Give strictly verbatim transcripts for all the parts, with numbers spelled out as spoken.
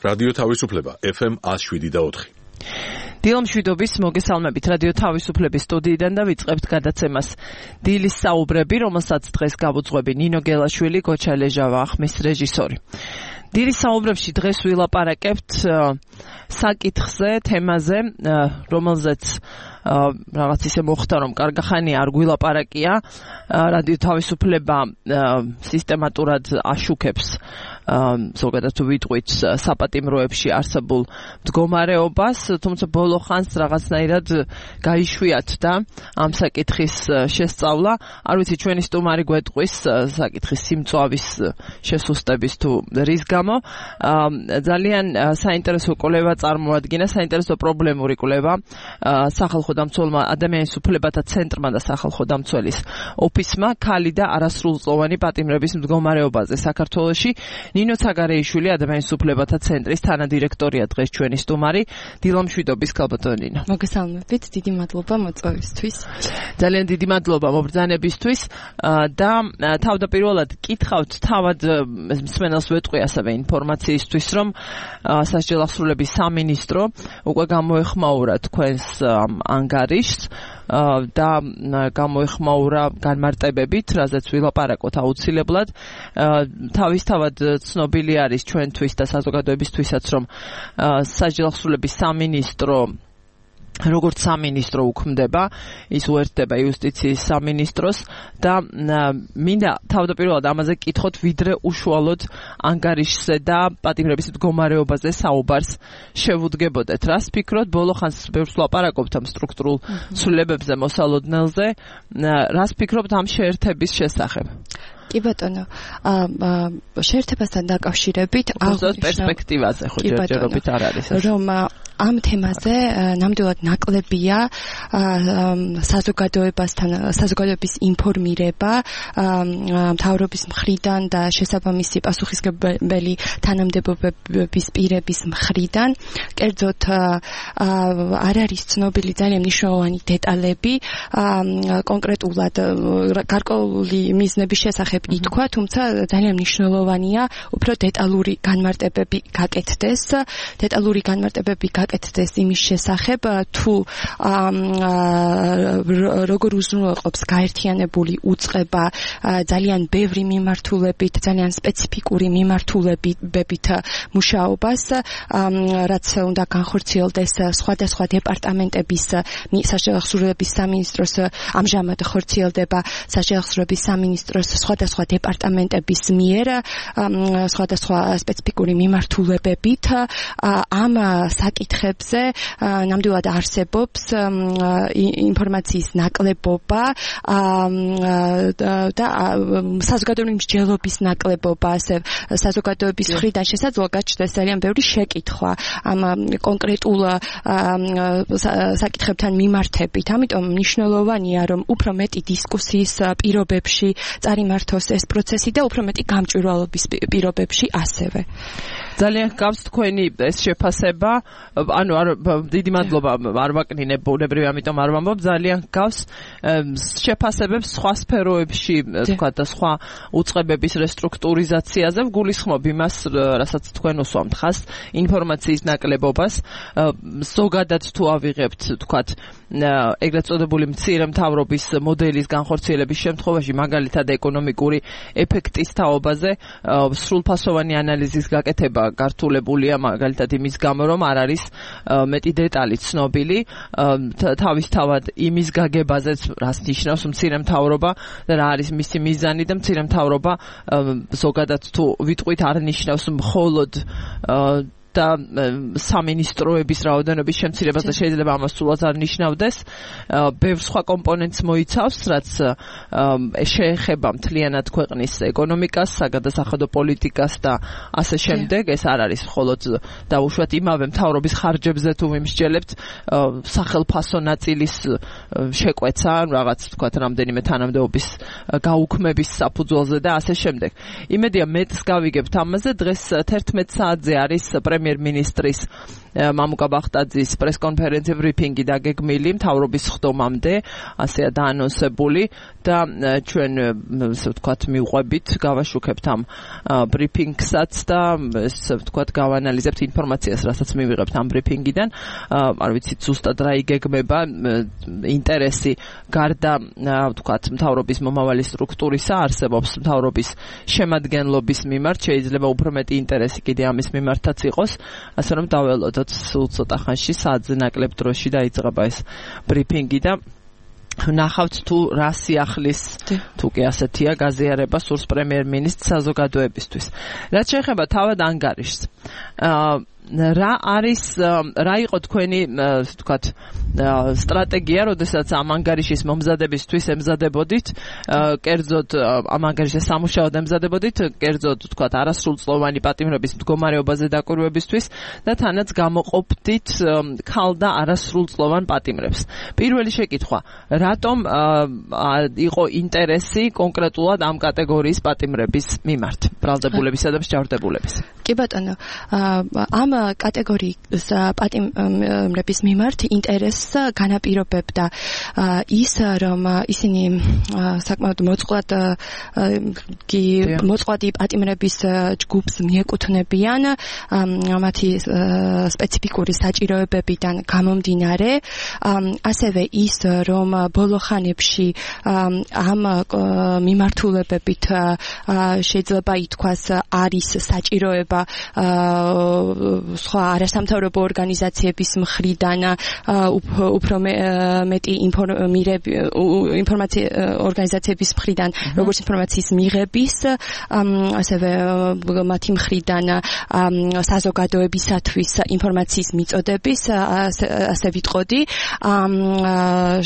რადიო თავისუფლება ეფ ემ one oh seven და four. დილამშვიდობის მოგესალმებით რადიო თავისუფლების სტუდიიდან და ვიწყებთ გადაცემას დილის საუბრები, რომელსაც დღეს გავუძღვები ნინო გელაშვილი, გოჩა ლეჟავა ახმის რეჟისორი. დილის საუბრებში დღეს ვილაპარაკებთ საკითხზე, თემაზე, რომელზეც რაღაც ისე მოხდა, რომ კარგახანი არ გვილაპარაკია. რადიო თავისუფლება სისტემატურად აშუქებს ზოგადად ვიტყვით საპატიმროებში არსებულ მდგომარეობას, თუმცა ბოლო ხანს რაღაცნაირად გაიშვიათდა ამ საკითხის შესწავლა. არ ვიცი, ჩვენი სტუმარი გვეტყვის საკითხის სიმწვავის შესუსტების თუ რის გამო. ძალიან საინტერესო კვლევა წარმოადგინა, საინტერესო პრობლემური კვლევა სახალხო დამცველმა ადამიანის უფლებათა ცენტრმა და სახალხო დამცველის ოფისმა ქალი და არასრულწლოვანი პატიმრების მდგომარეობაზე საქართველოში. ნინო ცაგარეიშვილი, ადამიანის უფლებათა ცენტრის თანადირექტორია დღეს ჩვენი სტუმარი. დილამშვიდობის ქალბატონო ნინო. მოგესალმებით, დიდი მადლობა მოწვევისთვის. ძალიან დიდი მადლობა მობრძანებისთვის და თავდაპირველად კითხავთ თავად მსმენელს ვეტყვი ასევე ინფორმაციისთვის, რომ სასჯელ ახსრულების სამინისტრო უკვე გამოეხმაურა თქვენს ანგარიშს და გამოეხმაურა განმარტებებით, რაზეც ვილაპარაკოთ აუცილებლად. თავისთავად ცნობილი არის ჩვენთვის და საზოგადოებისთვისაც, რომ სასჯელ ახსრულების სამინისტრო როგორც სამინისტრო უქმდება, ის უერთდება იუსტიციის სამინისტროს და მინდა თავდაპირველად ამაზე კითხოთ, ვიდრე უშუალოდ ანგარიშზე და პატიმრების მდგომარეობაზე საუბარს შევუდგებოდეთ. რას ფიქრობთ, ბოლო ხანს ბევრს ვლაპარაკობთ ამ სტრუქტურულ ცვლილებებზე, მოსალოდნელზე, რას ფიქრობთ ამ შეერთების შესახებ? კი ბატონო, შეერთებასთან დაკავშირებით აღნიშნავ პერსპექტივაზე ხო ჯერჯერობით არ არის ეს. რომ ამ თემაზე ნამდვილად ნაკლებია საზოგადოებასთან საზოგადოების ინფორმირება მთავრობის მხრიდან და შესაბამისი პასუხისმგებელი თანამდებობების პირების მხრიდან. კერძოდ არ არის ცნობილი ძალიან მნიშვნელოვანი დეტალები კონკრეტულად გარკვეული მიზნების შესახებ ითქვა, თუმცა ძალიან მნიშვნელოვანია უფრო დეტალური განმარტებები გაკეთდეს, დეტალური განმარტებები გაკეთდეს იმის შესახებ, თუ როგორ უზრუნველყოფს გაერთიანებული უწყება ძალიან ბევრი მიმართულებით, ძალიან სპეციფიკური მიმართულებებით მუშაობას, რაც უნდა განხორციელდეს სხვადასხვა დეპარტამენტების სასჯელ ახსრულების სამინისტროს, ამჟამად ხორციელდება სასჯელ ახსრულების სამინისტროს სხვადასხვა დეპარტამენტების მიერ სხვადასხვა სპეციფიკური მიმართულებებით. ამ საკითხებზე ნამდვილად არსებობს ინფორმაციის ნაკლებობა და საზოგადოებრივი მსჯელობის ნაკლებობა, ასე საზოგადოების მხრიდან შესაძლოა გაჩნდეს ძალიან ბევრი შეკითხვა ამ კონკრეტულ საკითხებთან მიმართებით. ამიტომ მნიშვნელოვანია, რომ უფრო მეტი დისკუსიის პირობებში წარიმართოს ეს პროცესი და უფრო მეტი გამჭვირვალობის პირობებში ასევე. ძალიან გავს თქვენი ეს შეფასება, ანუ დიდი მადლობა, არ ვაკნინებ ბუნებრივი, ამიტომ არ ვამბობ, ძალიან გავს შეფასებებს სხვა სფეროებში, თქვა და სხვა უწყებების რესტრუქტურიზაციაზე. ვგულისხმობ იმას, რასაც თქვენ უსვამთ ხას, ინფორმაციის ნაკლებობას. ზოგადად თუ ავიღებთ, თქვა ეგრეთ წოდებული მცირე მთავრობის მოდელის განხორციელების შემთხვევაში, მაგალითად ეკონომიკური ეფექტის თაობაზე სრულფასოვანი ანალიზის გაკეთება გართულებულია, მაგალითად იმის გამო, რომ არ არის მეტი დეტალი ცნობილი თავისთავად იმის გაგებაზეც, რას ნიშნავს მცირე მთავრობა და რა არის მისი მიზანი და მცირე მთავრობა ზოგადად თუ ვიტყვით არ ნიშნავს მხოლოდ და სამინისტროების რაოდენობის შემცირებას და შეიძლება ამას სულაც არ ნიშნავდეს. ბევრ სხვა კომპონენტს მოიცავს, რაც შეეხება მთლიანად ქვეყნის ეკონომიკას, საგადასახადო პოლიტიკას და ასე შემდეგ. ეს არ არის მხოლოდ დაუშვათ იმავე მთავრობის ხარჯებზე თუ ვიმსჯელებთ სახელფასო ნაწილის შეკვეცა, რაღაც თქვათ რამდენიმე თანამდებობის გაუქმების საფუძველზე და ასე შემდეგ. იმედია მეტს გავიგებთ ამაზე. დღეს თერთმეტ საათზე არის პრემიერ პრემიერ-მინისტრის მამუკა ბახტაძის პრესკონფერენცია ბრიფინგი დაგეგმილი მთავრობის ხდომამდე, ასეა დაანონსებული და ჩვენ ასე ვთქვათ მივყვებით, გავაშუქებთ ამ ბრიფინგსაც და ასე ვთქვათ გავანალიზებთ ინფორმაციას, რასაც მივიღებთ ამ ბრიფინგიდან. არ ვიცით ზუსტად რა იგეგმება, ინტერესი გარდა ვთქვათ მთავრობის მომავალი სტრუქტურისა არსებობს მთავრობის შემადგენლობის მიმართ, შეიძლება უფრო მეტი ინტერესი კიდე ამის მიმართაც იყოს, ასე რომ დაველოდოთ სულ ცოტა ხანში საათზე ნაკლებ დროში დაიწყება ეს ბრიფინგი და ნახავთ თუ რა სიახლის თუ კი ასეთია გაზიარება სურს პრემიერ-მინისტრს საზოგადოებისთვის. რაც შეეხება თავად ანგარიშს, რა არის რა იყო თქვენი ვთქვათ სტრატეგია, როდესაც ამ ანგარიშის მომზადებისთვის ემზადებოდით, კერძოდ ამ ანგარიშის სამუშაოდ ემზადებოდით, კერძოდ ვთქვათ არასრულწლოვანი პატიმრების მდგომარეობაზე დაკვირვებისთვის და თანაც გამოყოფდით ქალ და არასრულწლოვან პატიმრებს. პირველი შეკითხვა, რატომ იყო ინტერესი კონკრეტულად ამ კატეგორიის პატიმრების მიმართ, ბრალდებულებისა და მსჯავრდებულების? კი ბატონო, ამ კატეგორიის პატიმრების მიმართ ინტერესს განაპირობებდა ის, რომ ისინი საკმაოდ მოწყვლად კი მოწყვლადი პატიმრების ჯგუფს მიეკუთვნებიან, მათი სპეციფიკური საჭიროებებიდან გამომდინარე, ასევე ის, რომ ბოლო ხანებში ამ მიმართულებებით შეიძლება ითქვას არის საჭიროება სხვა არასამთავრობო ორგანიზაციების მხრიდან უფრო მეტი ინფორმაცია ორგანიზაციების მხრიდან, როგორც ინფორმაციის მიღების, ასევე მათი მხრიდან საზოგადოებისათვის ინფორმაციის მიწოდების, ასე ვიტყოდი.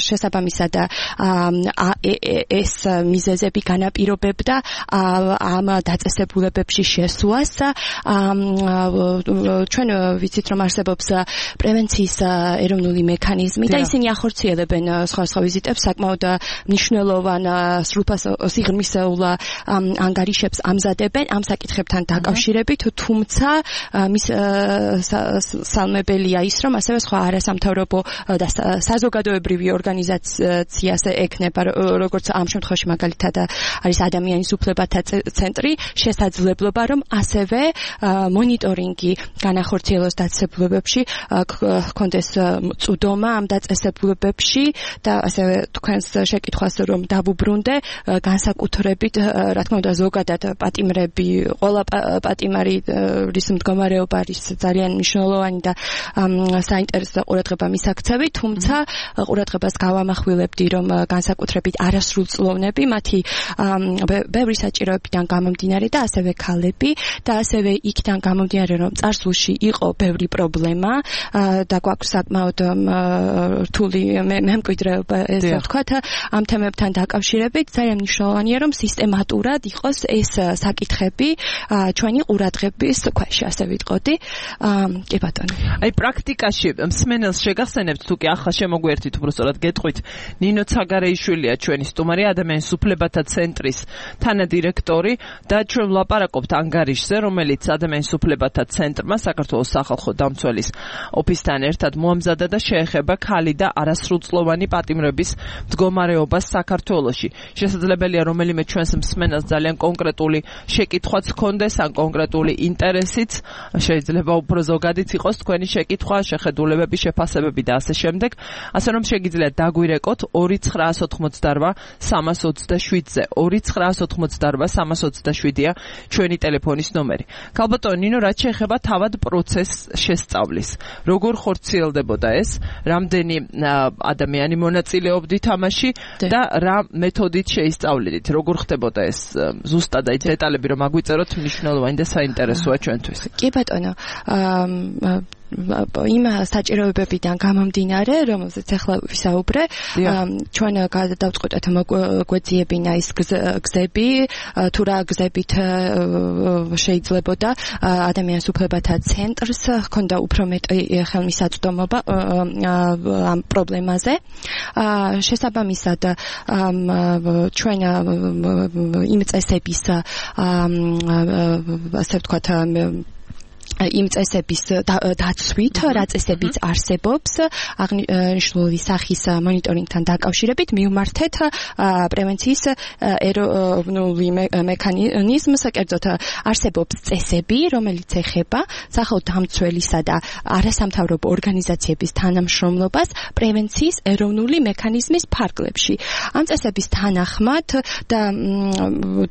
შესაბამისად ეს მიზეზები განაპირობებდა ამ დაწესებულებებში შესვლას. ჩვენ ვიცით, რომ არსებობს პრევენციის ეროვნული მექანიზმი და ისინი ახორციელებენ სხვადასხვა ვიზიტებს, საკმაოდ მნიშვნელოვან სიღრმისეულ ანგარიშებს ამზადებენ ამ საკითხებთან დაკავშირებით, თუმცა მის სალმებელია ის, რომ ასევე სხვა არასამთავრობო და საზოგადოებრივი ორგანიზაციას ექნება, როგორც ამ შემთხვევაში მაგალითად არის ადამიანის უფლებათა ცენტრი, შესაძლებლობა, რომ ასევე მონიტორინგი განახორციელოს დაწესებულებებში, ჰქონდეს წვდომა ამ დაწესებულებებში და ასევე თქვენს შეკითხვას რომ დავუბრუნდე, განსაკუთრებით რა თქმა უნდა ზოგადად პატიმრები, ყველა პატიმარი რის მდგომარეობა არის ძალიან მნიშვნელოვანი და საინტერესო ყურადღება მისაქცევი, თუმცა ყურადღებას გავამახვილებდი, რომ განსაკუთრებით არასრულწლოვნები, მათი ბევრი საჭიროებიდან გამომდინარე და ასევე ქალები და ასევე იქიდან გამომდინარე, რომ წარსულში იყო ბევრი პრობლემა და გვაქვს საკმაოდ რთული მემკვიდრეობა, ესე ვთქვათ, ამ თემებთან დაკავშირებით ძალიან მნიშვნელოვანია, რომ სისტემატურად იყოს ეს საკითხები ჩვენი ყურადღების ქვეშ, ასე ვიტყოდი. კი ბატონო. აი პრაქტიკაში მსმენელს შეგახსენებთ თუ კი ახლა შემოგვერთით, უბრალოდ გეტყვით, ნინო ცაგარეიშვილია ჩვენი სტუმარი, ადამიანის უფლებათა ცენტრის თანადირექტორი და ჩვენ ვლაპარაკობთ ანგარიშზე, რომელიც ადამიანის უფლებათა ცენტრმა საქართველოს სახალხო დამცველის ოფისთან ერთად მოამზადა და შეეხება ქალი და არასრულწლოვანი პატიმრების მდგომარეობას საქართველოში. შესაძლებელია რომელიმე ჩვენს მსმენელს ძალიან კონკრეტული შეკითხვაც ჰქონდეს, ან კონკრეტული ინტერესიც, შეიძლება უფრო ზოგადიც იყოს თქვენი შეკითხვა, შეხედულებები, შეფასებები და ასე შემდეგ. ასე რომ შეგიძლიათ დაგვირეკოთ ორი ცხრაას ოცდაოთხ სამას ოცდაშვიდზე. ორი ცხრაას ოცდაოთხ სამას ოცდაშვიდია ჩვენი ტელეფონის ნომერი. ქალბატონო ნინო, რაც შეეხება თავად პროცესს შესწავლის, როგორ ხორციელდებოდა ეს, რამდენი ადამიანი მონაწილეობდით ამაში და რა მეთოდით შეისწავლიდით, როგორ ხდებოდა ეს ზუსტად აი დეტალები რომ აგვიწეროთ, მნიშვნელოვანი და საინტერესოა ჩვენთვის. კი ბატონო, იმ საჭიროებებიდან გამომდინარე, რომელზეც ახლა ვისაუბრე, ჩვენ გადავწყვეტეთ მოგვეძიებინა ის გზები, თუ რა გზებით შეიძლებოდა ადამიანის უფლებათა ცენტრს ჰქონდა უფრო მეტი ხელმისაწვდომობა ამ პრობლემაზე. შესაბამისად, ჩვენ იმ წესების ასე ვთქვათ იმ წესების დაცვით, რა წესებიც არსებობს, აღნიშნული სახის მონიტორინგთან დაკავშირებით მივმართეთ პრევენციის ეროვნული მექანიზმს, კერძოდ არსებობს წესები, რომელიც ეხება სახელმწიფოთამცველისა და არასამთავრობო ორგანიზაციების თანამშრომლობას პრევენციის ეროვნული მექანიზმის ფარგლებში. ამ წესების თანახმად და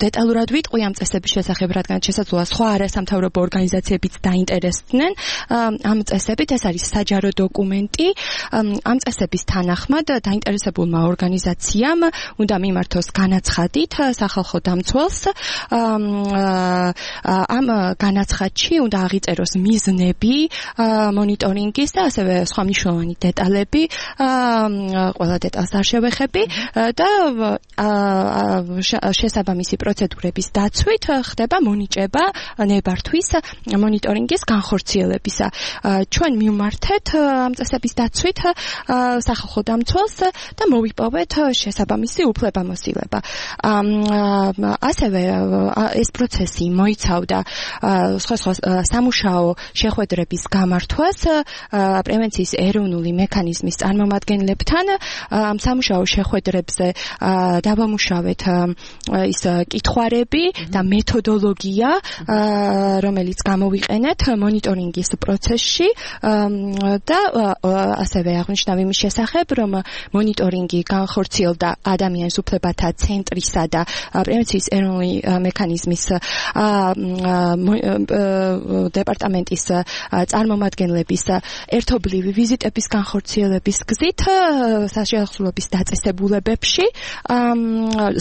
დეტალურად ვიტყვი ამ წესების შესახებ, რადგან შესაძლოა სხვა არასამთავრობო ორგანიზაციებიც დაინტერესდნენ ამ წესებით, ეს არის საჯარო დოკუმენტი. ამ წესების თანახმად დაინტერესებულმა ორგანიზაციამ უნდა მიმართოს განაცხადით სახალხო დამცველს. ამ განაცხადში უნდა აღიწეროს მიზნები მონიტორინგის და ასევე სხვა მნიშვნელოვანი დეტალები, ყველა დეტალს არ შევეხები და შესაბამისი პროცედურების დაცვით ხდება მონიჭება ნებართვის მონიტორინგის განხორციელებისა. ჩვენ მივმართეთ ამ წესების დაცვით სახალხო დამცველს და მოვიპოვეთ შესაბამისი უფლებამოსილება. ასევე ეს პროცესი მოიცავდა სხვა სხვა სამუშაო შეხვედრების გამართვას პრევენციის ეროვნული მექანიზმის წარმომადგენლებთან. ამ სამუშაო შეხვედრებზე დავამუშავეთ ის კითხვარები და მეთოდოლოგია, რომელიც გამოვიყენეთ მონიტორინგის პროცესში და ასევე აღნიშნავ იმის შესახებ, რომ მონიტორინგი განხორციელდა ადამიანის უფლებათა ცენტრისა და პრევენციის ეროვნული მექანიზმის დეპარტამენტის წარმომადგენლების ერთობლივი ვიზიტების განხორციელების გზით საშუალების დაწესებულებებში,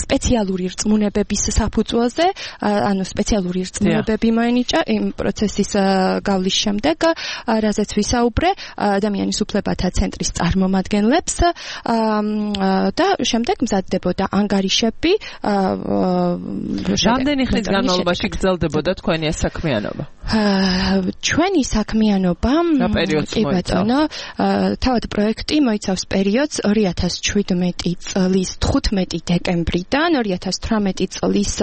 სპეციალური რწმუნებების საფუძველზე, ანუ სპეციალური რწმუნებები მოენიჭა იმ პროცესის გავლის შემდეგ, რაზეც ვისაუბრე ადამიანის უფლებათა ცენტრის წარმომადგენლებს და შემდეგ მზადდებოდა ანგარიშები. რამდენი ხნის განმავლობაში გრძელდებოდა თქვენი ეს საქმიანობა? ჩვენი საქმიანობა კი ბატონო, თავად პროექტი მოიცავს პერიოდს ორი ათას შვიდმეტი წლის თხუთმეტი დეკემბრიდან ორი ათას თვრამეტი წლის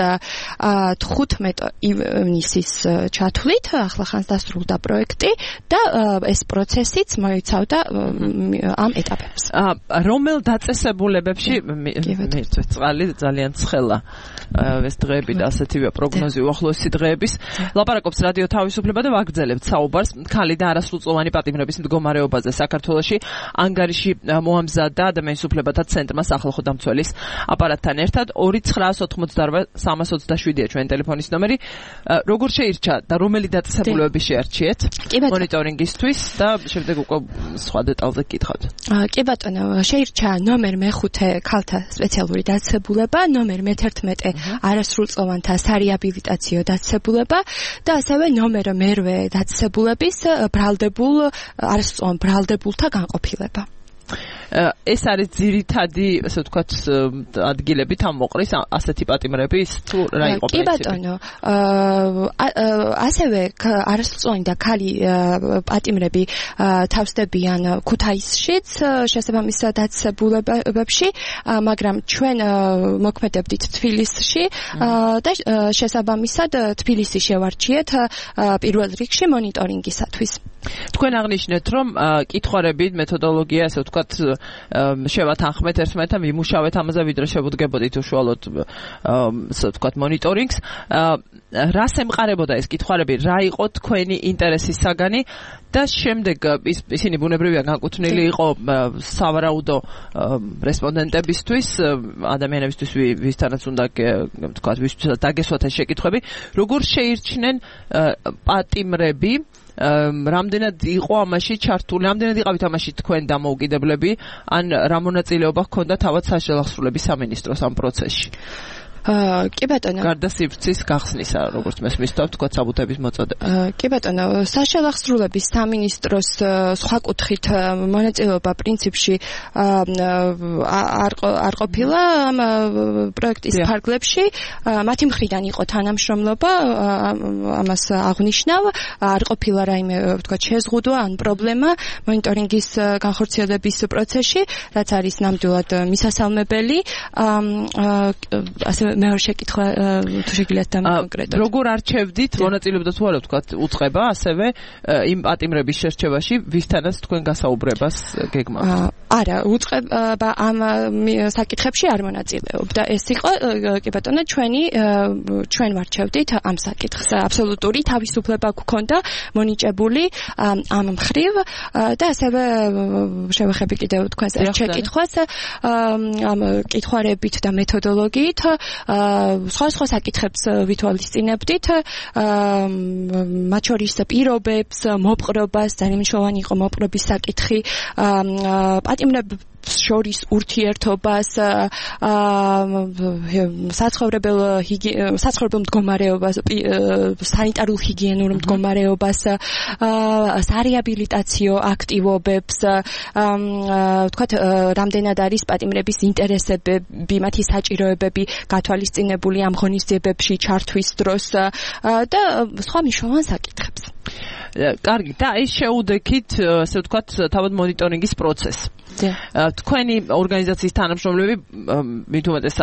თხუთმეტი ივნისის ჩათვლით, ახლახანს დასრულდა პროექტი და ეს პროცესიც მოიცავდა ამ ეტაპებს. რომელ დაწესებულებებში მირთვით წყალი ძალიან ცხელა ეს დღეები და ასეთივე პროგნოზი უახლოესი დღეების. ლაპარაკობს რადიო თავისუფლება და ვაგრძელებთ საუბარს ქალი და არასრულწლოვანი პატიმრების მდგომარეობაზე საქართველოში. ანგარიში მოამზადა ადამიანის უფლებათა ცენტრმა სახალხო დამცველის აპარატთან ერთად. ორი ცხრაას ოთხმოცდაორ სამას ოცდაშვიდია ჩვენი ტელეფონის ნომერი. როგორ შეირჩა და რომელი დაწესებულებები შეარჩიეთ მონიტორინგისთვის და შემდეგ უკვე სხვა დეტალზე გკითხავთ. კი ბატონო, შეირჩა ნომერ მეხუთე ქალთა სპეციალური დაწესებულება, ნომერ მეთერთმეტე არასრულწლოვანთა სარეაბილიტაციო დაწესებულება და ასევე ნომერ მერვე დაწესებულების ბრალდებულ არასრულწლოვან ბრალდებულთა განყოფილება. ეს არის ძირითადი, ასე ვთქვათ, ადგილები თან მოყრის ასეთი პატიმრების თუ რა იყო პრინციპი? კი ბატონო, ასევე არასრულწლოვანი და ქალი პატიმრები თავსდებიან ქუთაისშიც შესაბამის დაწესებულებებში, მაგრამ ჩვენ მოქმედებდით თბილისში და შესაბამისად თბილისი შევარჩიეთ პირველ რიგში მონიტორინგისათვის. თქვენ აღნიშნეთ, რომ კითხვარები, მეთოდოლოგია, ასე ვთქვათ, შევათანხმეთ ერთმანეთთან, ვიმუშავეთ ამაზე, ვიდრე შევუდგებოდით უშუალოდ, ასე ვთქვათ, მონიტორინგს. რას ემყარებოდა ეს კითხვარები, რა იყო თქვენი ინტერესის საგანი და შემდეგ ისინი ბუნებრივია განკუთვნილი იყო სავარაუდო რესპონდენტებისთვის, ადამიანებისთვის, ვისთანაც უნდა ვთქვათ, ვისთანაც დაგესვათ ეს შეკითხვები, როგორ შეირჩნენ პატიმრები, რამდენად იყო ამაში ჩართული, რამდენად იყავით ამაში თქვენ დამოუკიდებლები, ან რა მონაწილეობა ჰქონდა თავად საშუალების სამინისტროს ამ პროცესში? კი ბატონო. გარდა სივრცის გახსნისა, როგორც მე მისთავ თქვა საბუთების მოწოდება. კი ბატონო, საშუალების სამინისტროს სხვა კუთხით მონაწილეობა პრინციპში არ არ ყოფილა ამ პროექტის ფარგლებში. მათი მხრიდან იყო თანამშრომლობა, ამას აღნიშნავ, არ ყოფილა რაიმე, ვთქვათ, შეზღუდვა ან პრობლემა მონიტორინგის განხორციელების პროცესში, რაც არის ნამდვილად მისასალმებელი. ასე მეორე შეკითხვა თუ შეგიძლიათ დამოკონკრეტოთ. როგორ არჩევდით მონაწილეობდა თუ არა ვთქვათ უწყება ასევე იმ პატიმრების შერჩევაში ვისთანაც თქვენ გასაუბრებას გეგმავთ? არა, უწყება ამ საკითხებში არ მონაწილეობდა. ეს იყო კი ბატონო ჩვენი ჩვენ ვარჩევდით ამ საკითხს. აბსოლუტური თავისუფლება გვქონდა მონიჭებული ამ მხრივ და ასევე შევეხები კიდევ თქვენს შეკითხვას ამ კითხვარებით და მეთოდოლოგიით სხვა სხვა საკითხებს ვითვალისწინებდით მათ შორის პირობებს, მოპყრობას, ძალიან მნიშვნელოვანი იყო მოპყრობის საკითხი, პატიმრებს შორის ურთიერთობას, საცხოვრებელ საცხოვრებელ მდგომარეობას, სანიტარულ ჰიგიენურ მდგომარეობას, სარეაბილიტაციო აქტივობებს, ვთქვათ, რამდენად არის პატიმრების ინტერესები, მათი საჭიროებები გათვალისწინებული ამ ღონისძიებებში ჩართვის დროს და სხვა მნიშვნელოვან საკითხებს. კარგი, და ის შეუდექით, ასე ვთქვათ, თავად მონიტორინგის პროცესს. თქვენი ორგანიზაციის თანამშრომლები მით უმეტეს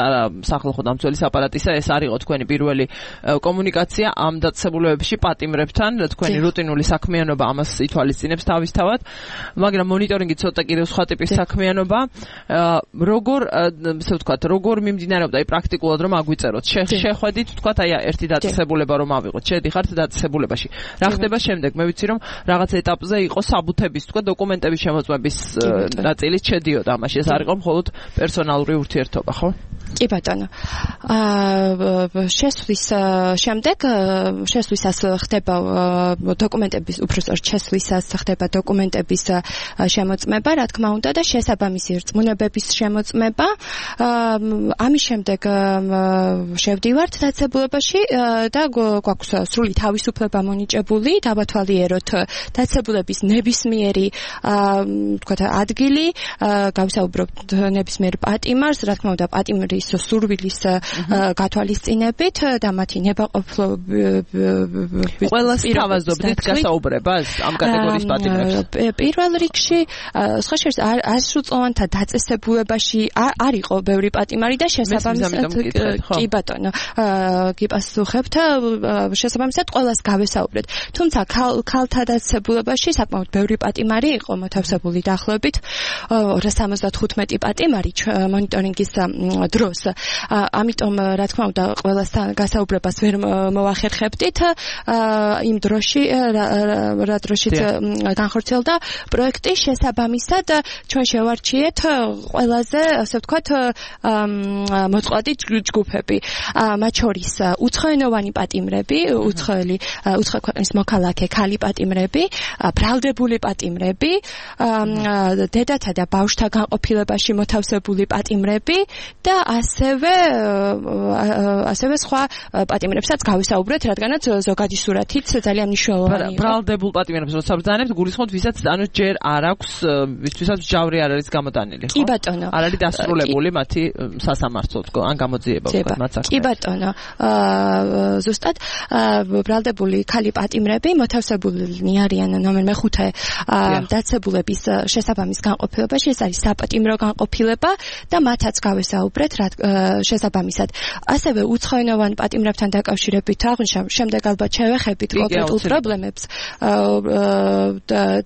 სახალხო დამცველის აპარატისა ეს არ იყო თქვენი პირველი კომუნიკაცია ამ დაწესებულებებში პატიმრებთან, თქვენი რუტინული საქმიანობა ამას ითვალისწინებს თავისთავად, მაგრამ მონიტორინგი ცოტა კიდევ სხვა ტიპის საქმიანობა. როგორ, ასე ვთქვათ, როგორ მიმდინარეობდა აი პრაქტიკულად რომ აგვიწეროთ? შეხვედით, ვთქვათ, აი ერთი დაწესებულება რომ ავიღოთ, შედიხართ დაწესებულებაში. რა ხდება შემდეგ? მე ვიცი რომ რაღაც ეტაპზე იყო საბუთების, ვთქვათ, დოკუმენტების შემოწმების ნაწილით შედიოდა ამაში. ეს არ იყო მხოლოდ პერსონალური ურთიერთობა, ხო? კი ბატონო. აა შესვლის შემდეგ შესვლისას ხდება დოკუმენტების უпростоრ შესვლისას ხდება დოკუმენტების შემოწმება, რა თქმა უნდა და შესაბამისი რწმუნებების შემოწმება. ამის შემდეგ შევდივართ დაწესებულებაში და გვაქვს სრული თავისუფლება მონიჭებული, დავათვალიეროთ დაწესებულების ნებისმიერი თქვათ ადგილი, გავსაუბრობთ ნებისმიერ პატიმარს, რა თქმა უნდა პატიმრის სურვილის გათვალისწინებით და მათი ნებაყოფლობის ყველას თავაზობდით გასაუბრებას ამ კატეგორიის პატიმრებს? პირველ რიგში სხვა შორის ასრულწლოვანთა დაწესებულებაში არ იყო ბევრი პატიმარი და შესაბამისად კი ბატონო გიპასუხებთ შესაბამისად ყველას გავესაუბრეთ. თუმცა ქალთა დაწესებულებაში საკმაოდ ბევრი პატიმარი იყო მოთავსებული დაახლოებით ორას სამოცდათხუთმეტი პატიმარი მონიტორინგის დროს. ამიტომ რა თქმა უნდა ყველასთან გასაუბრებას ვერ მოვახერხებდით იმ დროში რა დროშიც განხორციელდა პროექტი შესაბამისად ჩვენ შევარჩიეთ ყველაზე ასე ვთქვათ მოწყვლადი ჯგუფები მათ შორის უცხოენოვანი პატიმრები უცხოელი უცხო ქვეყნის მოქალაქე ქალი პატიმრები ბრალდებული პატიმრები დედათა და ბავშვთა განყოფილებაში მოთავსებული პატიმრები და ასევე ასევე სხვა პატიმრებსაც გავისაუბრეთ, რადგანაც ზოგადი სურათიც ძალიან მნიშვნელოვანია. ბრალდებულ პატიმრებს როცა ბრძანებთ, გულისხმობთ, ვისაც ანუ ჯერ არ აქვს, ვისაც ჯავრი არ არის გამოტანილი, ხო? კი ბატონო. არ არის დასრულებული მათი სასამართლო თქო, ან გამოძიება ვთქვათ მათ საქმეში. კი ბატონო. ზუსტად ბრალდებული ქალი პატიმრები მოთავსებულნი არიან ნომერ მეხუთე დაწესებულების შესაბამის განყოფილებაში, ეს არის საპატიმრო განყოფილება და მათაც გავესაუბრეთ შესაბამისად. ასევე უცხოენოვან პატიმრებთან დაკავშირებით აღვნიშნავ, შემდეგ ალბათ შევეხებით კონკრეტულ პრობლემებს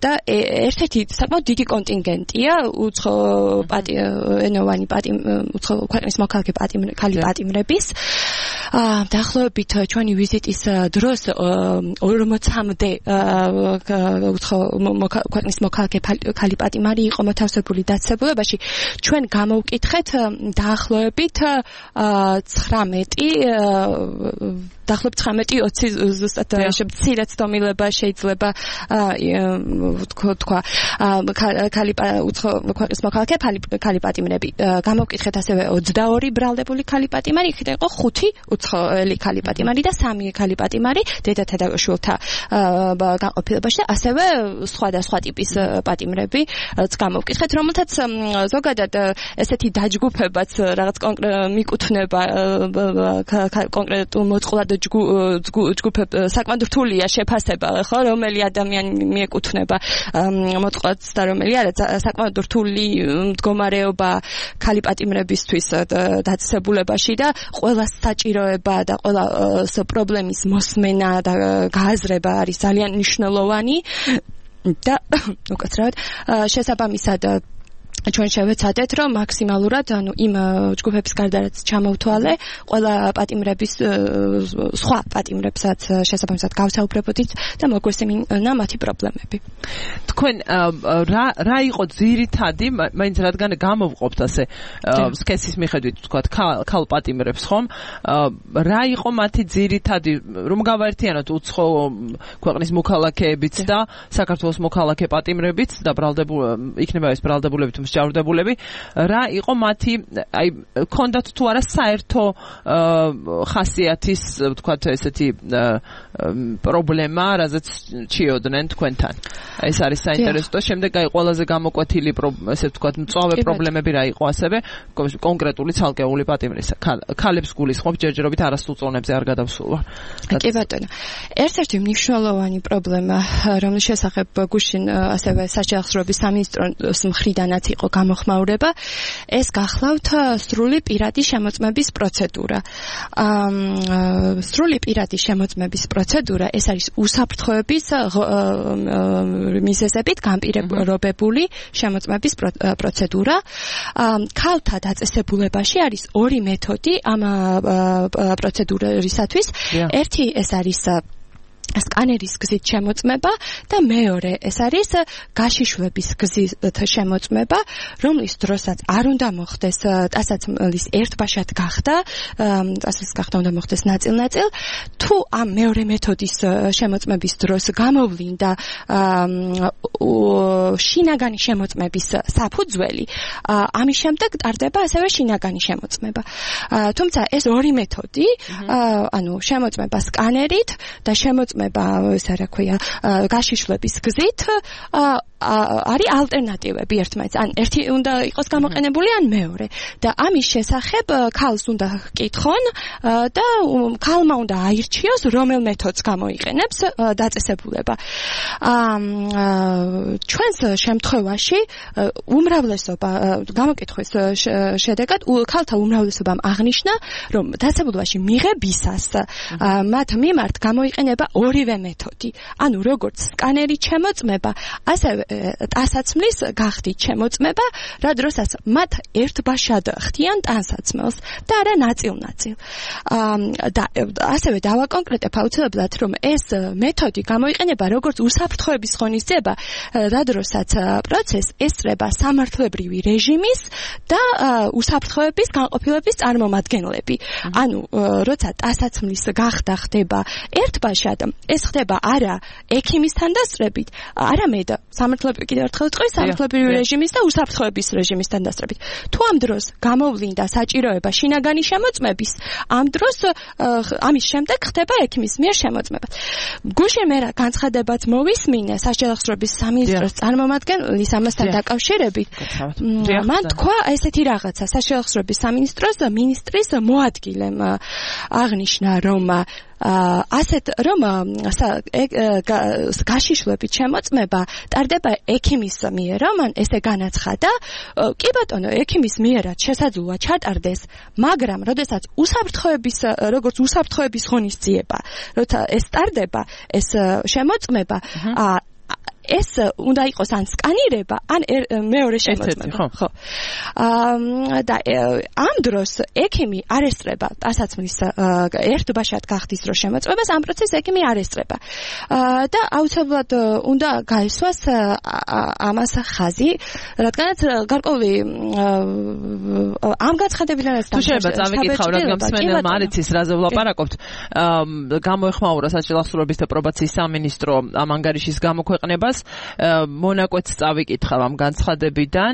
და ერთ-ერთი საკმაოდ დიდი კონტინგენტია უცხოენოვანი უცხო ქვეყნის მოქალაქე ქალი პატიმრების. დაახლოებით ჩვენი ვიზიტის დროს ორმოცამდე უცხო ქვეყნის მოქალაქე ქალი პატიმარი იყო მოთავსებული დაწესებულებაში. ჩვენ გამოვკითხეთ დაახლოებით ცხრამეტი დაახლოებით ცხრამეტი ოცი ზუსტად მცირედ ცდომილება შეიძლება თქვა ქალი უცხო ქვეყნის მოქალაქე ქალი პატიმრები. გამოვკითხეთ ასევე ოცდაორი ბრალდებული ქალი პატიმარი, იქიდან იყო ხუთი უცხოელი ქალი პატიმარი და სამი ქალი პატიმარი დედათა და შვილთა განყოფილებაში და ასევე სხვადასხვა ტიპის პატიმრები გამოვკითხეთ, რომელთაც ზოგადად ესეთი დაჯგუფებაც რაღაც კონკრეტ მიკუთვნება კონკრეტულ მოწყვლად ჯგუფ საკმაოდ რთულია შეფასება, ხო, რომელი ადამიანი მიეკუთვნება მოწყვლადს და რომელი არა, საკმაოდ რთული მდგომარეობა ქალი პატიმრებისთვის დაწესებულებაში და ყველას საჭიროება და ყველა პრობლემის მოსმენა და გააზრება არის ძალიან მნიშვნელოვანი და უკაცრავად შესაბამისად ჩვენ შევეცადეთ, რომ მაქსიმალურად, ანუ იმ ჯგუფების გარდა რაც ჩამოვთვალე, ყველა პატიმრების სხვა პატიმრებსაც შესაბამისად გავსაუბრებოდით და მოგვესმინა მათი პრობლემები. თქვენ რა რა იყო ძირითადი, მაინც რადგან გამოვყოფთ ასე სქესის მიხედვით, თქვათ, ქალ პატიმრებს, ხომ? რა იყო მათი ძირითადი, რომ გავაერთიანოთ უცხო ქვეყნის მოქალაქეებიც და საქართველოს მოქალაქე პატიმრებიც და ბრალდებულ იქნება ეს ბრალდებულებით მსჯავრდებულები, რა იყო მათი, აი, ქონდათ თუ არა საერთო ხასიათის, ვთქვათ, ესეთი პრობლემა, რაზეც ჩიოდნენ თქვენთან. ეს არის საინტერესო. შემდეგ აი ყველაზე გამოკვეთილი, ესე ვთქვათ, მწვავე პრობლემები რა იყო ასევე კონკრეტული ცალკეული პატიმრისა. ქალებს გულისხმობ ჯერჯერობით არასრულწლოვნებზე არ გადავსულვარ. კი ბატონო. ერთ-ერთი მნიშვნელოვანი პრობლემა, რომლის შესახებ გუშინ ასევე საჯარო სამინისტროს მხრიდანაც იყო გამოხმაურება, ეს გახლავთ სრული პირადი შემოწმების პროცედურა. სრული პირადი შემოწმების პროცედურა, ეს არის უსაფრთხოების მიზეზებით განპირობებული შემოწმების პროცედურა. ქალთა დაწესებულებაში არის ორი მეთოდი ამ პროცედურისათვის. ერთი ეს არის სკანერის გზით შემოწმება და მეორე ეს არის გაშიშვლების გზით შემოწმება, რომლის დროსაც არ უნდა მოხდეს ტანსაცმლის ერთბაშად გახდა, ტანსაცმლის გახდა უნდა მოხდეს ნაწილ-ნაწილ, თუ ამ მეორე მეთოდის შემოწმების დროს გამოვლინდა შინაგანი შემოწმების საფუძველი, ამის შემდეგ ტარდება ასევე შინაგანი შემოწმება. თუმცა ეს ორი მეთოდი, ანუ შემოწმება სკანერით და შემოწმება ეს რა ქვია გაშიშვლების გზით არის ალტერნატივები ერთმანეთს. ან ერთი უნდა იყოს გამოყენებული, ან მეორე. და ამის შესახებ ქალს უნდა ჰკითხონ და ქალმა უნდა აირჩიოს, რომელ მეთოდს გამოიყენებს დაწესებულება. ჩვენს შემთხვევაში უმრავლესობა გამოკითხვის შედეგად ქალთა უმრავლესობამ აღნიშნა, რომ დაწესებულებაში მიღებისას მათ მიმართ გამოიყენება ორივე მეთოდი. ანუ როგორც სკანერით შემოწმება, ასევე ტანსაცმლის გახდით შემოწმება, რა დროსაც მათ ერთბაშად ხდიან ტანსაცმელს და არა ნაწილ-ნაწილ. და ასევე დავაკონკრეტებ აუცილებლად, რომ ეს მეთოდი გამოიყენება როგორც უსაფრთხოების ღონისძიება, რა დროსაც პროცესს ესწრება სამართლებრივი რეჟიმის და უსაფრთხოების განყოფილების წარმომადგენლები. ანუ როცა ტანსაცმლის გახდა ხდება ერთბაშად, ეს ხდება არა ექიმისთან დასწრებით, არამედ სამართლებრივი კიდევ ერთხელ ვთქვი, სამართლებრივი რეჟიმის და უსაფრთხოების რეჟიმისთან დასწრებით. თუ ამ დროს გამოვლინდა საჭიროება შინაგანი შემოწმების, ამ დროს ამის შემდეგ ხდება ექიმის მიერ შემოწმება. გუშინ მე რა განცხადებაც მოვისმინე საჯარო სამინისტროს წარმომადგენლის ამასთან დაკავშირებით. მან თქვა ესეთი რაღაცა, საჯარო სამინისტროს მინისტრის მოადგილემ აღნიშნა, რომ ასეთ რომ გაშიშვლებით შემოწმება ტარდება ექიმის მიერ, მან ესე განაცხადა, კი ბატონო, ექიმის მიერაც შესაძლოა ჩატარდეს, მაგრამ როდესაც უსაფრთხოების როგორც უსაფრთხოების ღონისძიება, როცა ეს ტარდება, ეს შემოწმება, ეს უნდა იყოს ან სკანირება, ან მეორე შემოწმება. ხო. და ამ დროს ექიმი არ ესწრება ტანსაცმლის ერთბაშად გახდის დროს შემოწმებას, ამ პროცესს ექიმი არ ესწრება. და აუცილებლად უნდა გაესვას ამას ხაზი, რადგანაც გარკვეული ამ გაცხადებიდანაც თუ შეიძლება წავიკითხავ, რადგან მსმენელმა არ იცის, რაზე ვლაპარაკობთ. გამოეხმაურა საჯელახსოვრების და პრობაციის სამინისტრო ამ ანგარიშის გამოქვეყნებას. მონაკვეთს წავიკითხავ ამ განცხადებიდან.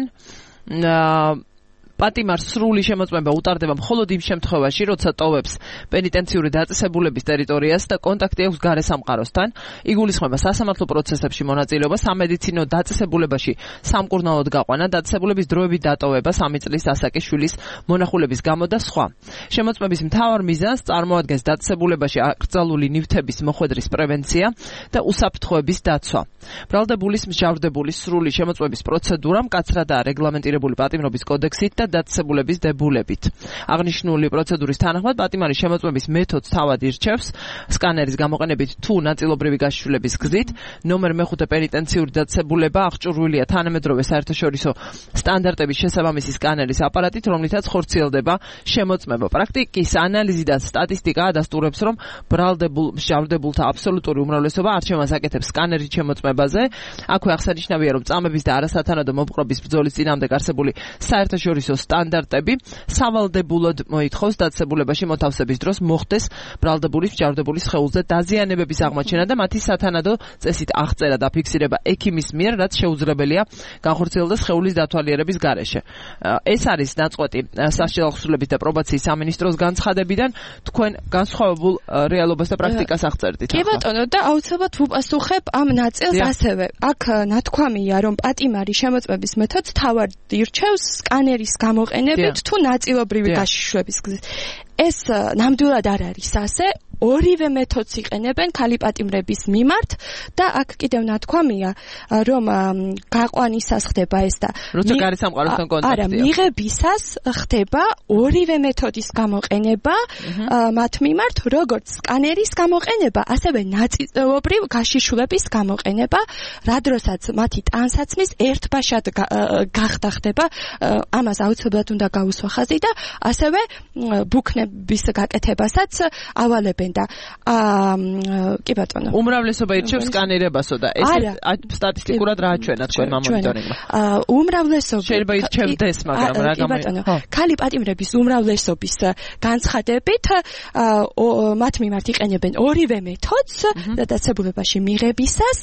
პატიმარს სრული შემოწმება უტარდება მხოლოდ იმ შემთხვევაში, როცა ტოვებს პენიტენციური დაწესებულების ტერიტორიას და კონტაქტი აქვს გარე სამყაროსთან. იგულისხმება სასამართლო პროცესებში მონაწილეობა, სამედიცინო დაწესებულებაში სამკურნალოდ გაყვანა, დაწესებულების დროებით დატოვება, სამი წლის ასაკის მონახულების გამო და სხვა. შემოწმების მთავარ მიზანს წარმოადგენს დაწესებულებაში აკრძალული ნივთების მოხვედრის პრევენცია და უსაფრთხოების დაცვა. ბრალდებულის მსჯავრდებულის სრული შემოწმების პროცედურა მკაცრადაა რეგლამენტირებული პატიმრობის კოდექსით და დაწესებულების დებულებით. აღნიშნული პროცედურის თანახმად პატიმარის შემოწმების მეთოდს თავად ირჩევს სკანერის გამოყენებით თუ ნაწილობრივი გაშიშვლების გზით. ნომერ მეხუთე პენიტენციური დაწესებულება აღჭურვილია თანამედროვე საერთაშორისო სტანდარტების შესაბამისი სკანერის აპარატით, რომლითაც ხორციელდება შემოწმება. პრაქტიკის ანალიზი და სტატისტიკა ადასტურებს, რომ ბრალდებულ მსჯავრდებულთა აბსოლუტური უმრავლესობა არჩევანს აკეთებს სკანერის შემოწმებაზე. აქვე აღსანიშნავია, რომ წამების და არასათანადო მოპყრობის ბრძოლის წინააღმდეგ არსებული საერთაშორისო სტანდარტები სავალდებულოდ მოითხოვს დაწესებულებაში მოთავსების დროს მოხდეს ბრალდებულის მსჯავრდებულის სხეულზე დაზიანებების აღმოჩენა და მათი სათანადო წესით აღწერა და ფიქსირება ექიმის მიერ, რაც შეუძლებელია განხორციელდეს სხეულის დათვალიერების გარეშე. ეს არის ნაწყვეტი სასჯელო აღსრულების და პრობაციის სამინისტროს განცხადებიდან. თქვენ განსხვავებულ რეალობას და პრაქტიკას აღწერდით. კი ბატონო, და აუცილებლად ვუპასუხებ ამ ნაწილს ასევე. აქ ნათქვამია, რომ პატიმარი შემოწმების მეთოდს თავად ირჩევს სკანერის გამოყენებით თუ ნაწილობრივი გაშიშვების გზით. ეს ნამდვილად არ არის ასე. ორივე მეთოდს იყენებენ ქალი პატიმრების მიმართ და აქ კიდევ ნათქვამია, რომ გაყვანისას ხდება ეს და როცა გარე სამყაროსთან კონტაქტია. არა, მიღებისას ხდება ორივე მეთოდის გამოყენება მათ მიმართ, როგორც სკანერის გამოყენება, ასევე ნაწილობრივ გაშიშვლების გამოყენება, რა დროსაც მათი ტანსაცმლის ერთბაშად გახდა ხდება, ამას აუცილებლად უნდა გაუსვა ხაზი და ასევე ბუქნების გაკეთებასაც ავალებენ. და კი ბატონო. უმრავლესობა ირჩევს სკანირებასო და ეს სტატისტიკურად რა აჩვენა თქვენ მონიტორინგმა? უმრავლესობა შეიძლება ირჩევდეს, მაგრამ რა კი ბატონო. ქალი პატიმრების უმრავლესობის განცხადებით მათ მიმართ იყენებენ ორივე მეთოდს და დაწესებულებაში მიღებისას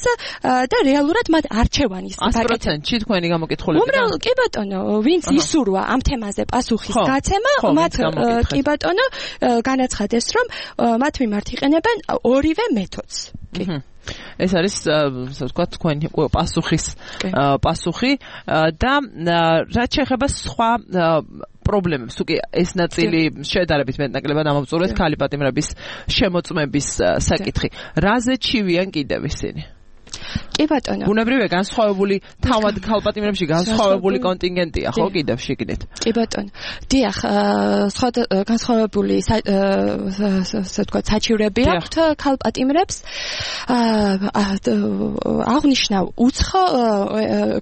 და რეალურად მათ არჩევანის ათი პროცენტი თქვენი გამოკითხულები. უმრავლესობა კი ბატონო, ვინც ისურვა ამ თემაზე პასუხის გაცემა, მათ კი ბატონო განაცხადეს, რომ მათ მიმართ იყენებენ ორივე მეთოდს. კი. ეს არის ასე ვთქვათ თქვენი პასუხის პასუხი და რაც შეეხება სხვა პრობლემებს, უკვე ეს ნაწილი შედარებით მეტნაკლებად ამოვწურეთ ქალი პატიმრების შემოწმების საკითხი. რაზე ჩივიან კიდევ ისინი? კი ბატონო. ბუნებრივია განსხვავებული თავად ქალპატიმრებში განსხვავებული კონტინგენტია, ხო, კიდევ შიგნით. კი ბატონო. დიახ, სხვა განსხვავებული ასე ვთქვათ საჩივრები აქვთ ქალპატიმრებს. აღნიშნავ უცხო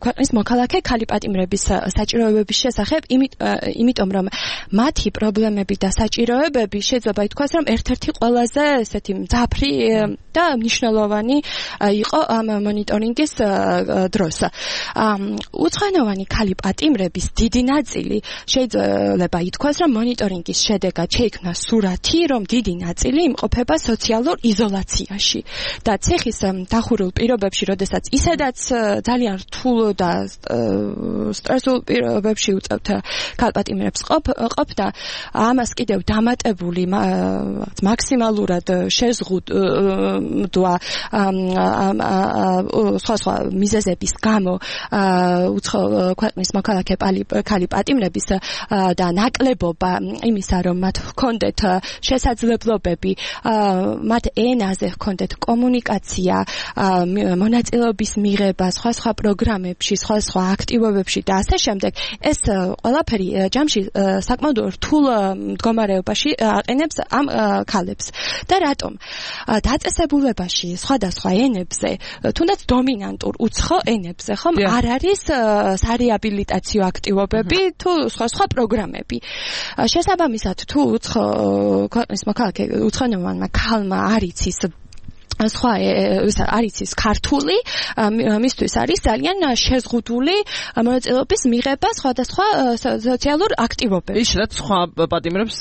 ქვეყნის მოქალაქე ქალპატიმრების საჭიროებების შესახებ, იმიტომ რომ მათი პრობლემები და საჭიროებები შეიძლება ითქვას, რომ ერთ-ერთი ყველაზე ესეთი მძაფრი და მნიშვნელოვანი იყო ამ მონიტორინგის დროს. უცხოენოვანი ქალი პატიმრების დიდი ნაწილი შეიძლება ითქვას, რომ მონიტორინგის შედეგად შეიქმნა სურათი, რომ დიდი ნაწილი იმყოფება სოციალურ იზოლაციაში და ციხის დახურულ პირობებში, როდესაც ისედაც ძალიან რთულ და სტრესულ პირობებში უწევთ ქალ პატიმრებს ყოფნა, ამას კიდევ დამატებული მაქსიმალურად შეზღუდვა სხვა სხვა მიზეზების გამო უცხო ქვეყნის მოქალაქე ქალი პატიმრების და ნაკლებობა იმისა, რომ მათ ჰქონდეთ შესაძლებლობები, მათ ენაზე ჰქონდეთ კომუნიკაცია, მონაწილეობის მიღება სხვა სხვა პროგრამებში, სხვა სხვა აქტივობებში და ასე შემდეგ, ეს ყველაფერი ჯამში საკმაოდ რთულ მდგომარეობაში აყენებს ამ ქალებს. და რატომ? დაწესებულებაში სხვადასხვა ენებზე, თუნდაც დომინანტურ უცხო ენებზე, ხომ, არ არის სარეაბილიტაციო აქტივობები თუ სხვა სხვა პროგრამები. შესაბამისად, თუ უცხო ქვეყნის მოქალაქე უცხოენოვანმა ქალმა არ იცის სხვა არის ის ქართული მისთვის არის ძალიან შეზღუდული მონაწილეობის მიღება სხვადასხვა სოციალურ აქტივობებში. ის რაც სხვა პატიმრებს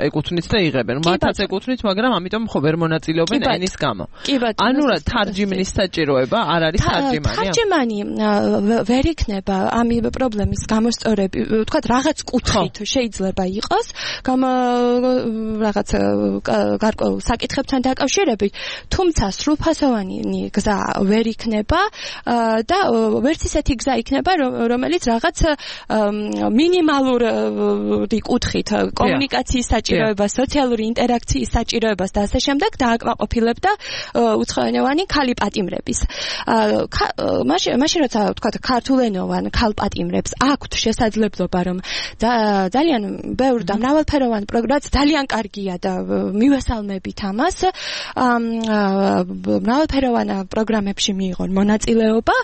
ეკუთვნით და იღებენ. მათაც ეკუთვნით, მაგრამ ამიტომ ხო ვერ მონაწილეობენ ენის გამო. ანუ რა თარჯიმნის საჭიროება არ არის თარჯიმანი? თარჯიმანი ვერ იქნება ამ პრობლემის გამოსწორები, ვთქვათ, რაღაც კუთხით შეიძლება იყოს, გამ რაღაც გარკვეულ საკითხებთან დაკავშირებით, თუმცა სრულფასოვანი გზა ვერ იქნება და ვერც ისეთი გზა იქნება, რომელიც რაღაც მინიმალური კუთხით კომუნიკაციის საჭიროებას, სოციალური ინტერაქციის საჭიროებას და ასე შემდეგ დააკმაყოფილებდა უცხოენოვანი ქალი პატიმრების. მაშინ როცა ვთქვათ ქართულენოვან ქალ პატიმრებს აქვთ შესაძლებლობა რომ ძალიან ბევრ და მრავალფეროვან პროგრამას ძალიან კარგია და მივესალმებით ამას მრავალფეროვან პროგრამებში მიიღონ მონაწილეობა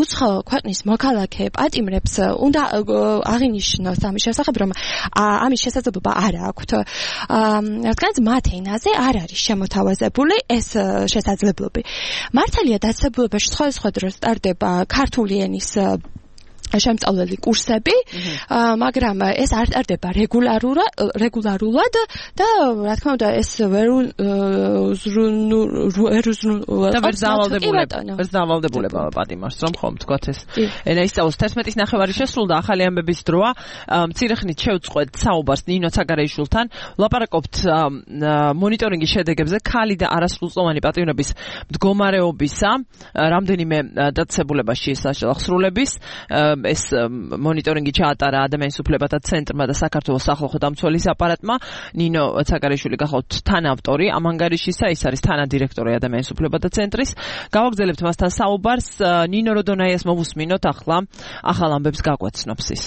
უცხო ქვეყნის მოქალაქე პატიმრებს უნდა აღინიშნოს ამის შესახებ რომ ამის შესაძლებლობა არ აქვთ რადგანაც მათ ენაზე არ არის შემოთავაზებული ეს შესაძლებლობები მართალია დაწესებულებაში სხვადასხვა დროს ტარდება ქართული ენის შემწავლელი კურსები, მაგრამ ეს არ ტარდება რეგულარულად, რეგულარულად და რა თქმა უნდა ეს ვერ და ვერ დავალდებულება, ვერ დავალდებულება პატიმარს, რომ ხომ თქვათ ეს. ენა ისწავლოს თერთმეტის ნახევარი შესრულდა ახალი ამბების დროა. მცირე ხნით შევწყვეტ საუბარს ნინო ცაგარეიშვილთან, ვლაპარაკობთ მონიტორინგის შედეგებზე ქალი და არასრულწლოვანი პატიმრების მდგომარეობისა, რამდენიმე დაწესებულებაში შესაძლებლობის ეს მონიტორინგი ჩაატარა ადამიანის უფლებათა ცენტრმა და საქართველოს სახალხო დამცველის აპარატმა. ნინო ცაგარეიშვილი გახავთ თანავტორი ამ ანგარიშისა, ის არის თანადირექტორი ადამიანის უფლებათა ცენტრის. გავაგრძელებთ მასთან საუბარს. ნინო როდონაიას მოვუსმინოთ ახლა ახალ ამბებს გაგვაცნობს ის.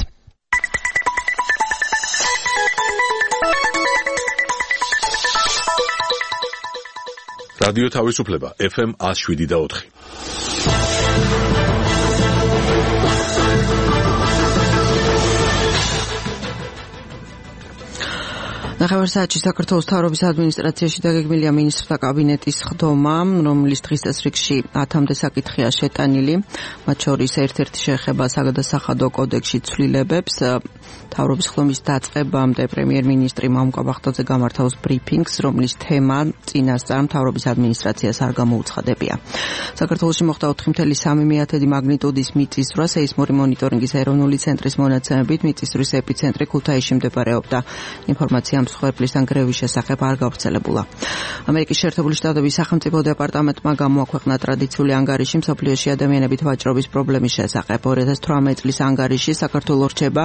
რადიო თავისუფლება ეფ ემ one oh seven და four. ნახევარ საათში საქართველოს მთავრობის ადმინისტრაციაში დაგეგმილია მინისტრთა კაბინეტის ხდომა, რომლის დღის წესრიგში ათამდე საკითხია შეტანილი, მათ შორის ერთ-ერთი შეეხება საგადასახადო კოდექსში ცვლილებებს. მთავრობის ხდომის დაწყებამდე პრემიერ-მინისტრი მამუკა ბახტაძე გამართავს ბრიფინგს, რომლის თემა წინასწარ მთავრობის ადმინისტრაციას არ გამოუცხადებია. საქართველოში მოხდა ოთხი კoma三მიათედი მაგნიტუდის მიწისძვრა, სეისმური მონიტორინგის ეროვნული ცენტრის მონაცემებით მიწისძვრის ეპიცენტრი ქუთაისში მდებარეობდა. ინფორმაცია მსხვერპლისგან გრევის შესახებ არ გავრცელებულა. ამერიკის შეერთებული შტატების სახელმწიფო დეპარტამენტმა გამოაქვეყნა ტრადიციული ანგარიში მსოფლიოში ადამიანებით ვაჭრობის პრობლემის შესახებ. ორი ათას თვრამეტი წლის ანგარიში საქართველო რჩება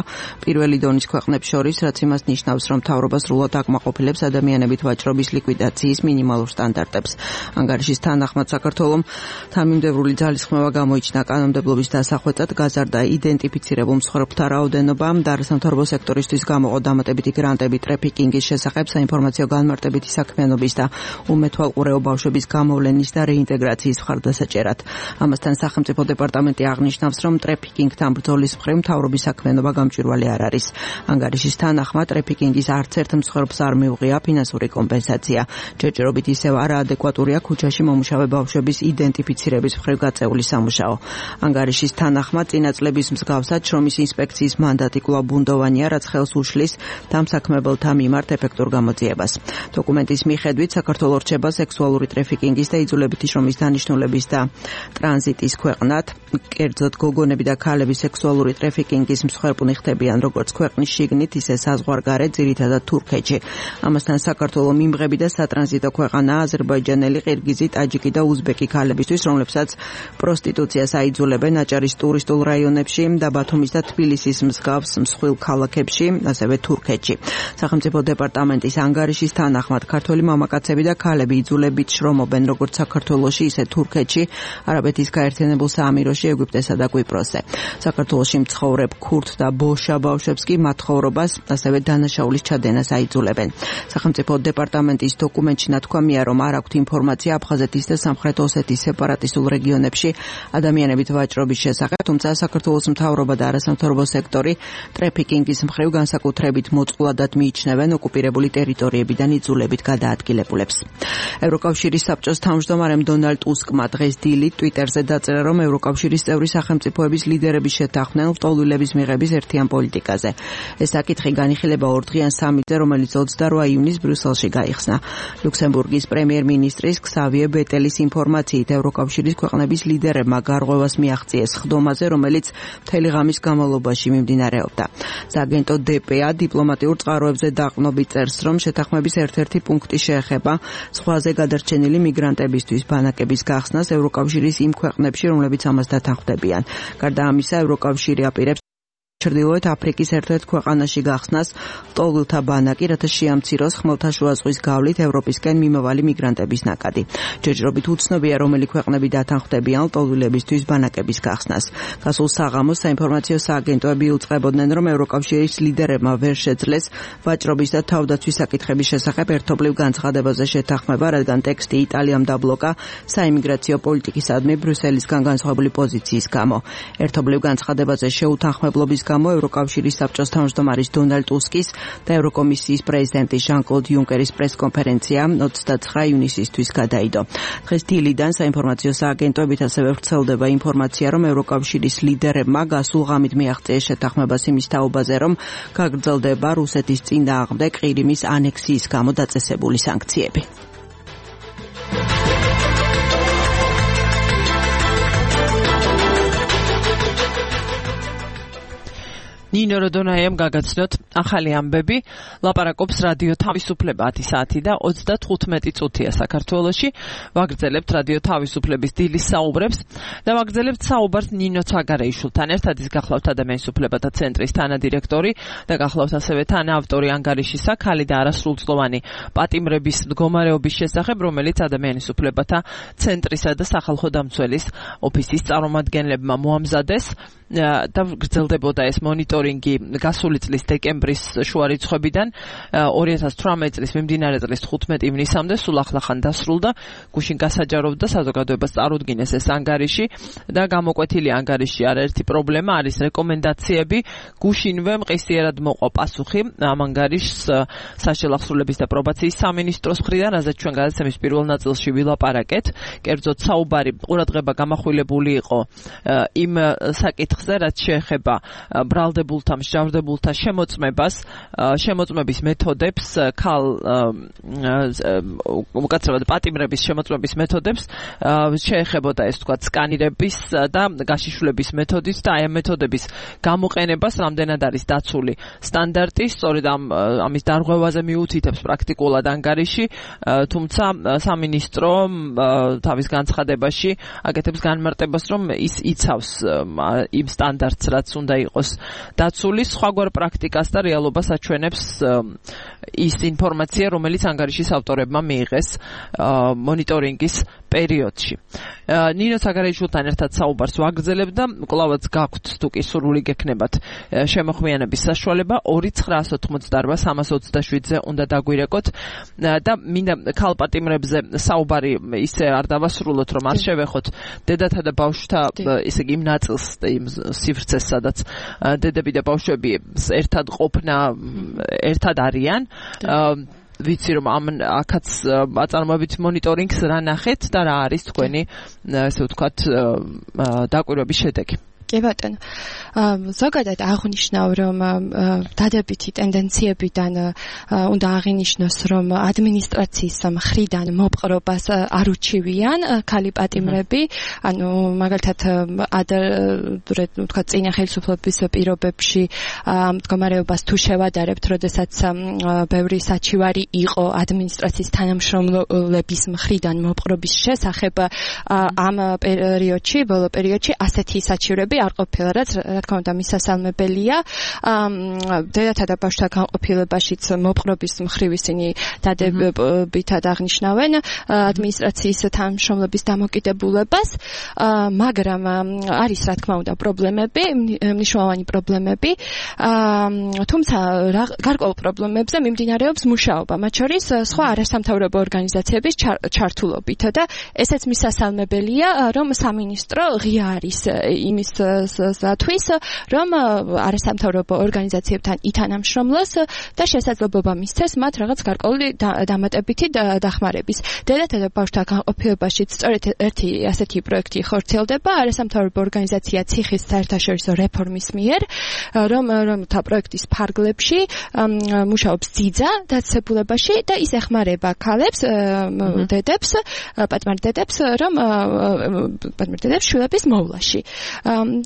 პირველი დონის ქვეყნებს შორის, რაც იმას ნიშნავს, რომ მთავრობა სრულად აკმაყოფილებს ადამიანებით ვაჭრობის ლიკვიდაციის მინიმალურ სტანდარტებს. ანგარიშის თანახმად საქართველომ თანმიმდევრული ძალისხმევა გამოიჩინა კანონმდებლობის დასახვეწად, გაზარდა იდენტიფიცირებულ მსხვერპლთა რაოდენობა და არასამთავრობო სექტორისთვის გამოყო დამატებითი გრანტები ტრაფიკინგის შესახებ, საინფორმაციო განმარტებითი საქმიანობის და უმეთვალყურეო ბავშვების გამოვლენის და რეინტეგრაციის მხარდასაჭერად. ამასთან სახელმწიფო დეპარტამენტი აღნიშნავს, რომ ტრაფიკინგთან ბრძოლის მხრივ მთავრობის საქმიანობა გამჭვირვალე არ არის. ანგარიშის თანახმად ტრაფიკინგის არც ერთ მსხვერპლს არ მიუღია ფინანსური კომპენსაცია. ჯერჯერობით ისევ არაადეკვატურია ქუჩაში მომუშავე ბავშვების იდენტიფიცირების მხრივ გაწეული სამუშაო. ანგარიშის თანახმად წინა წლების მსგავსად შრომის ინსპექციის მანდატი კვლავ ბუნდოვანია, რაც ხელს უშლის დამსაქმებელთა მიმართ ეფექტურ გამოძიებას. დოკუმენტის მიხედვით საქართველო რჩება სექსუალური ტრაფიკინგის და იძულებითი შრომის დანიშნულების და ტრანზიტის ქვეყნად. კერძოდ გოგონები და ქალები სექსუალური ტრაფიკინგის მსხვერპლი ხდებიან როგორც ქვეყნის შიგნით, ისე საზღვარგარეთ, ძირითადად თურქეთში. ამასთან საქართველო მიმღები და სატრანზიტო ქვეყანაა აზერბაიჯანელი, ყირგიზი, ტაჯიკი და უზბეკი ქალებისთვის, რომლებსაც პროსტიტუციას აიძულებენ აჭარის ტურისტულ რაიონებში და ბათუმის და თბილისის მსგავს მსხვილ ქალაქებში, ასევე თურქეთში. სახელმწიფო დეპარტამენტის ანგარიშის თანახმად ქართველი მამაკაცები და ქალები იძულებით შრომობენ როგორც საქართველოში, ისე თურქეთში, არაბეთის გაერთიანებულ საამიროში, ეგვიპტესა და კვიპროსზე. საქართველოში მცხოვრებ ქურთ და ბოშა ბავშვებს კი მათ ცხოვრებას, ასევე დანაშაულის ჩადენას აიძულებენ. სახელმწიფო დეპარტამენტის დოკუმენტში ნათქვამია, რომ არ აქვთ ინფორმაცია აფხაზეთის და სამხრეთ ოსეთის სეპარატისტულ რეგიონებში ადამიანებით ვაჭრობის შესახებ, თუმცა საქართველოს მთავრობა და არასამთავრობო სექტორი ტრაფიკინგის მხრივ განსაკუთრებით მოწყვლადად მიიჩნევენ არიან ოკუპირებული ტერიტორიებიდან იძულებით გადაადგილებულებს. ევროკავშირის საბჭოს თავმჯდომარემ დონალდ ტუსკმა დღეს დილით ტვიტერზე დაწერა, რომ ევროკავშირის წევრი სახელმწიფოების ლიდერები შეთანხმდნენ ლტოლვილების მიღების ერთიან პოლიტიკაზე. ეს საკითხი განიხილება ორდღიან სამიტზე, რომელიც ოცდარვა ივნისს ბრიუსელში გაიხსნა. ლუქსემბურგის პრემიერ-მინისტრის ქსავიე ბეტელის ინფორმაციით ევროკავშირის ქვეყნების ლიდერებმა გარღვევას მიაღწიეს ხდომაზე, რომელიც მთელი ღამის განმავლობაში მიმდინარეობდა. სააგენტო დე პე ა დიპლომატიურ წყაროებზე დაყრდნობით წერს, რომ შეთანხმების ერთ-ერთი პუნქტი შეეხება ზღვაზე გადარჩენილი მიგრანტებისთვის ბანაკების გახსნას ევროკავშირის იმ ქვეყნებში, რომლებიც ამას დათანხმდებიან. გარდა ამისა, ევროკავშირი აპირებს ჩრდილოეთ აფრიკის ერთ-ერთ ქვეყანაში გახსნას ლტოლვილთა ბანაკი, რათა შეამციროს ხმელთაშუა ზღვის გავლით ევროპისკენ მიმავალი მიგრანტების ნაკადი. ჯერჯერობით უცნობია, რომელი ქვეყნები დათანხმდებიან ლტოლვილებისთვის ბანაკების გახსნას. გასულ საღამოს საინფორმაციო სააგენტოები უწყებოდნენ, რომ ევროკავშირის ლიდერებმა ვერ შეძლეს ვაჭრობის და თავდაცვის საკითხების შესახებ ერთობლივ განცხადებაზე შეთანხმება, რადგან ტექსტი იტალიამ დაბლოკა საიმიგრაციო პოლიტიკისადმი ბრიუსელისგან განსხვავებული პოზიციის გამო. ერთობლივ განცხადებაზე შეუთანხმებლობის გამო ევროკავშირის საბჭოს თავმჯდომარის დონალდ ტუსკის და ევროკომისიის პრეზიდენტის ჟან-კლოდ იუნკერის პრესკონფერენცია ოცდათხრა ივნისისთვის გადაიდო. დღეს დილიდან საინფორმაციო სააგენტოებით ასევე ვრცელდება ინფორმაცია, რომ ევროკავშირის ლიდერებმა გასულ ღამით მიაღწიეს შეთანხმებას იმის თაობაზე, რომ გაგრძელდება რუსეთის წინააღმდეგ ყირიმის ანექსიის გამო დაწესებული სანქციები. ნინო როდონაიამ გაგაცნოთ ახალი ამბები, ლაპარაკობს რადიო თავისუფლება ათი საათი და ოცდათხუთმეტი წუთია საქართველოში. ვაგრძელებთ რადიო თავისუფლების დილის საუბრებს და ვაგრძელებთ საუბარს ნინო ცაგარეიშვილთან ერთად. ის გახლავთ ადამიანის უფლებათა ცენტრის თანადირექტორი და გახლავთ ასევე თანაავტორი ანგარიშისა ქალი და არასრულწლოვანი პატიმრების მდგომარეობის შესახებ, რომელიც ადამიანის უფლებათა ცენტრისა და სახალხო დამცველის ოფისის წარმომადგენლებმა მოამზადეს და გრძელდებოდა ეს მონიტორინგი გასული წლის დეკემბრის შუა რიცხვებიდან ორი ათას თვრამეტი წლის მიმდინარე წლის თხუთმეტი ივნისამდე სულ ახლახან დასრულდა. გუშინ გასაჯაროვდა საზოგადოებას წარუდგინეს ეს ანგარიში და გამოკვეთილი ანგარიში არაერთი პრობლემა არის რეკომენდაციები. გუშინვე მყისიერად მოყვა პასუხი ამ ანგარიშს საშელახსრულების და პრობაციის სამინისტროს მხრიდან, რაზეც ჩვენ გადაცემის პირველ ნაწილში ვილაპარაკეთ. კერძოდ საუბარი ყურადღება გამახვილებული იყო იმ საკითხ რაც შეეხება ბრალდებულთა, მსჯავრდებულთა შემოწმებას, შემოწმების მეთოდებს, ქალ უკაცრავად პატიმრების შემოწმების მეთოდებს, შეეხებოდა ეს თქვა სკანირების და გაშიშვლების მეთოდით და აი ამ მეთოდების გამოყენებას რამდენად არის დაცული სტანდარტი, სწორედ ამ ამის დარღვევაზე მიუთითებს პრაქტიკულად ანგარიში, თუმცა სამინისტრო თავის განცხადებაში აკეთებს განმარტებას, რომ ის იცავს იმ სტანდარტს, რაც უნდა იყოს დაცული, სხვაგვარ პრაქტიკას და რეალობას აჩვენებს ის ინფორმაცია, რომელიც ანგარიშის ავტორებმა მიიღეს მონიტორინგის პერიოდში. ნინო ცაგარეიშვილთან ერთად საუბარს ვაგრძელებ და კვლავაც გაქვთ თუ კი სურვილი გექნებათ შემოხმიანების საშუალება ორი ცხრაას ოთხმოცდაარბა სამას ოცდაშვიდზე უნდა დაგვირეკოთ და მინდა ქალპატიმრებზე საუბარი ისე არ დავასრულოთ, რომ არ შევეხოთ დედათა და ბავშვთა ისე იმ ნაწილს იმ სივრცეს, სადაც დედები და ბავშვები ერთად ყოფნა ერთად არიან. ვიცი რომ ამ აქაც აწარმოებით მონიტორინგს რა ნახეთ და რა არის თქვენი ესე ვთქვათ დაკვირვების შედეგი. კი ბატონო. ზოგადად აღნიშნავ, რომ დადებითი ტენდენციებიდან უნდა აღინიშნოს, რომ ადმინისტრაციის მხრიდან მოპყრობას არ უჩივიან ქალი პატიმრები, ანუ მაგალითად თქვა წინა ხელისუფლების პირობებში მდგომარეობას თუ შევადარებთ, როდესაც ბევრი საჩივარი იყო ადმინისტრაციის თანამშრომლების მხრიდან მოპყრობის შესახებ, ამ პერიოდში, ბოლო პერიოდში ასეთი საჩივრები არ ყოფილა, რაც რა თქმა უნდა მისასალმებელია. დედათა და ბავშვთა განყოფილებაშიც მოპყრობის მხრივ ისინი დადებითად აღნიშნავენ ადმინისტრაციის თანამშრომლების დამოკიდებულებას, მაგრამ არის რა თქმა უნდა პრობლემები, მნიშვნელოვანი პრობლემები, თუმცა გარკვეულ პრობლემებზე მიმდინარეობს მუშაობა, მათ შორის სხვა არასამთავრობო ორგანიზაციების ჩართულობით და ესეც მისასალმებელია, რომ სამინისტრო ღია არის იმის თვის, რომ არასამთავრობო ორგანიზაციებთან ითანამშრომლოს და შესაძლებლობა მისცეს მათ რაღაც გარკვეული დამატებითი დახმარების. დედათა და ბავშვთა განყოფილებაშიც სწორედ ერთი ასეთი პროექტი ხორციელდება არასამთავრობო ორგანიზაცია ციხის საერთაშორისო რეფორმის მიერ, რომ რომთა პროექტის ფარგლებში მუშაობს ძიძა დაწესებულებაში და ის ეხმარება ქალებს, დედებს, პატიმარ დედებს, რომ პატიმარ დედებს შვილების მოვლაში.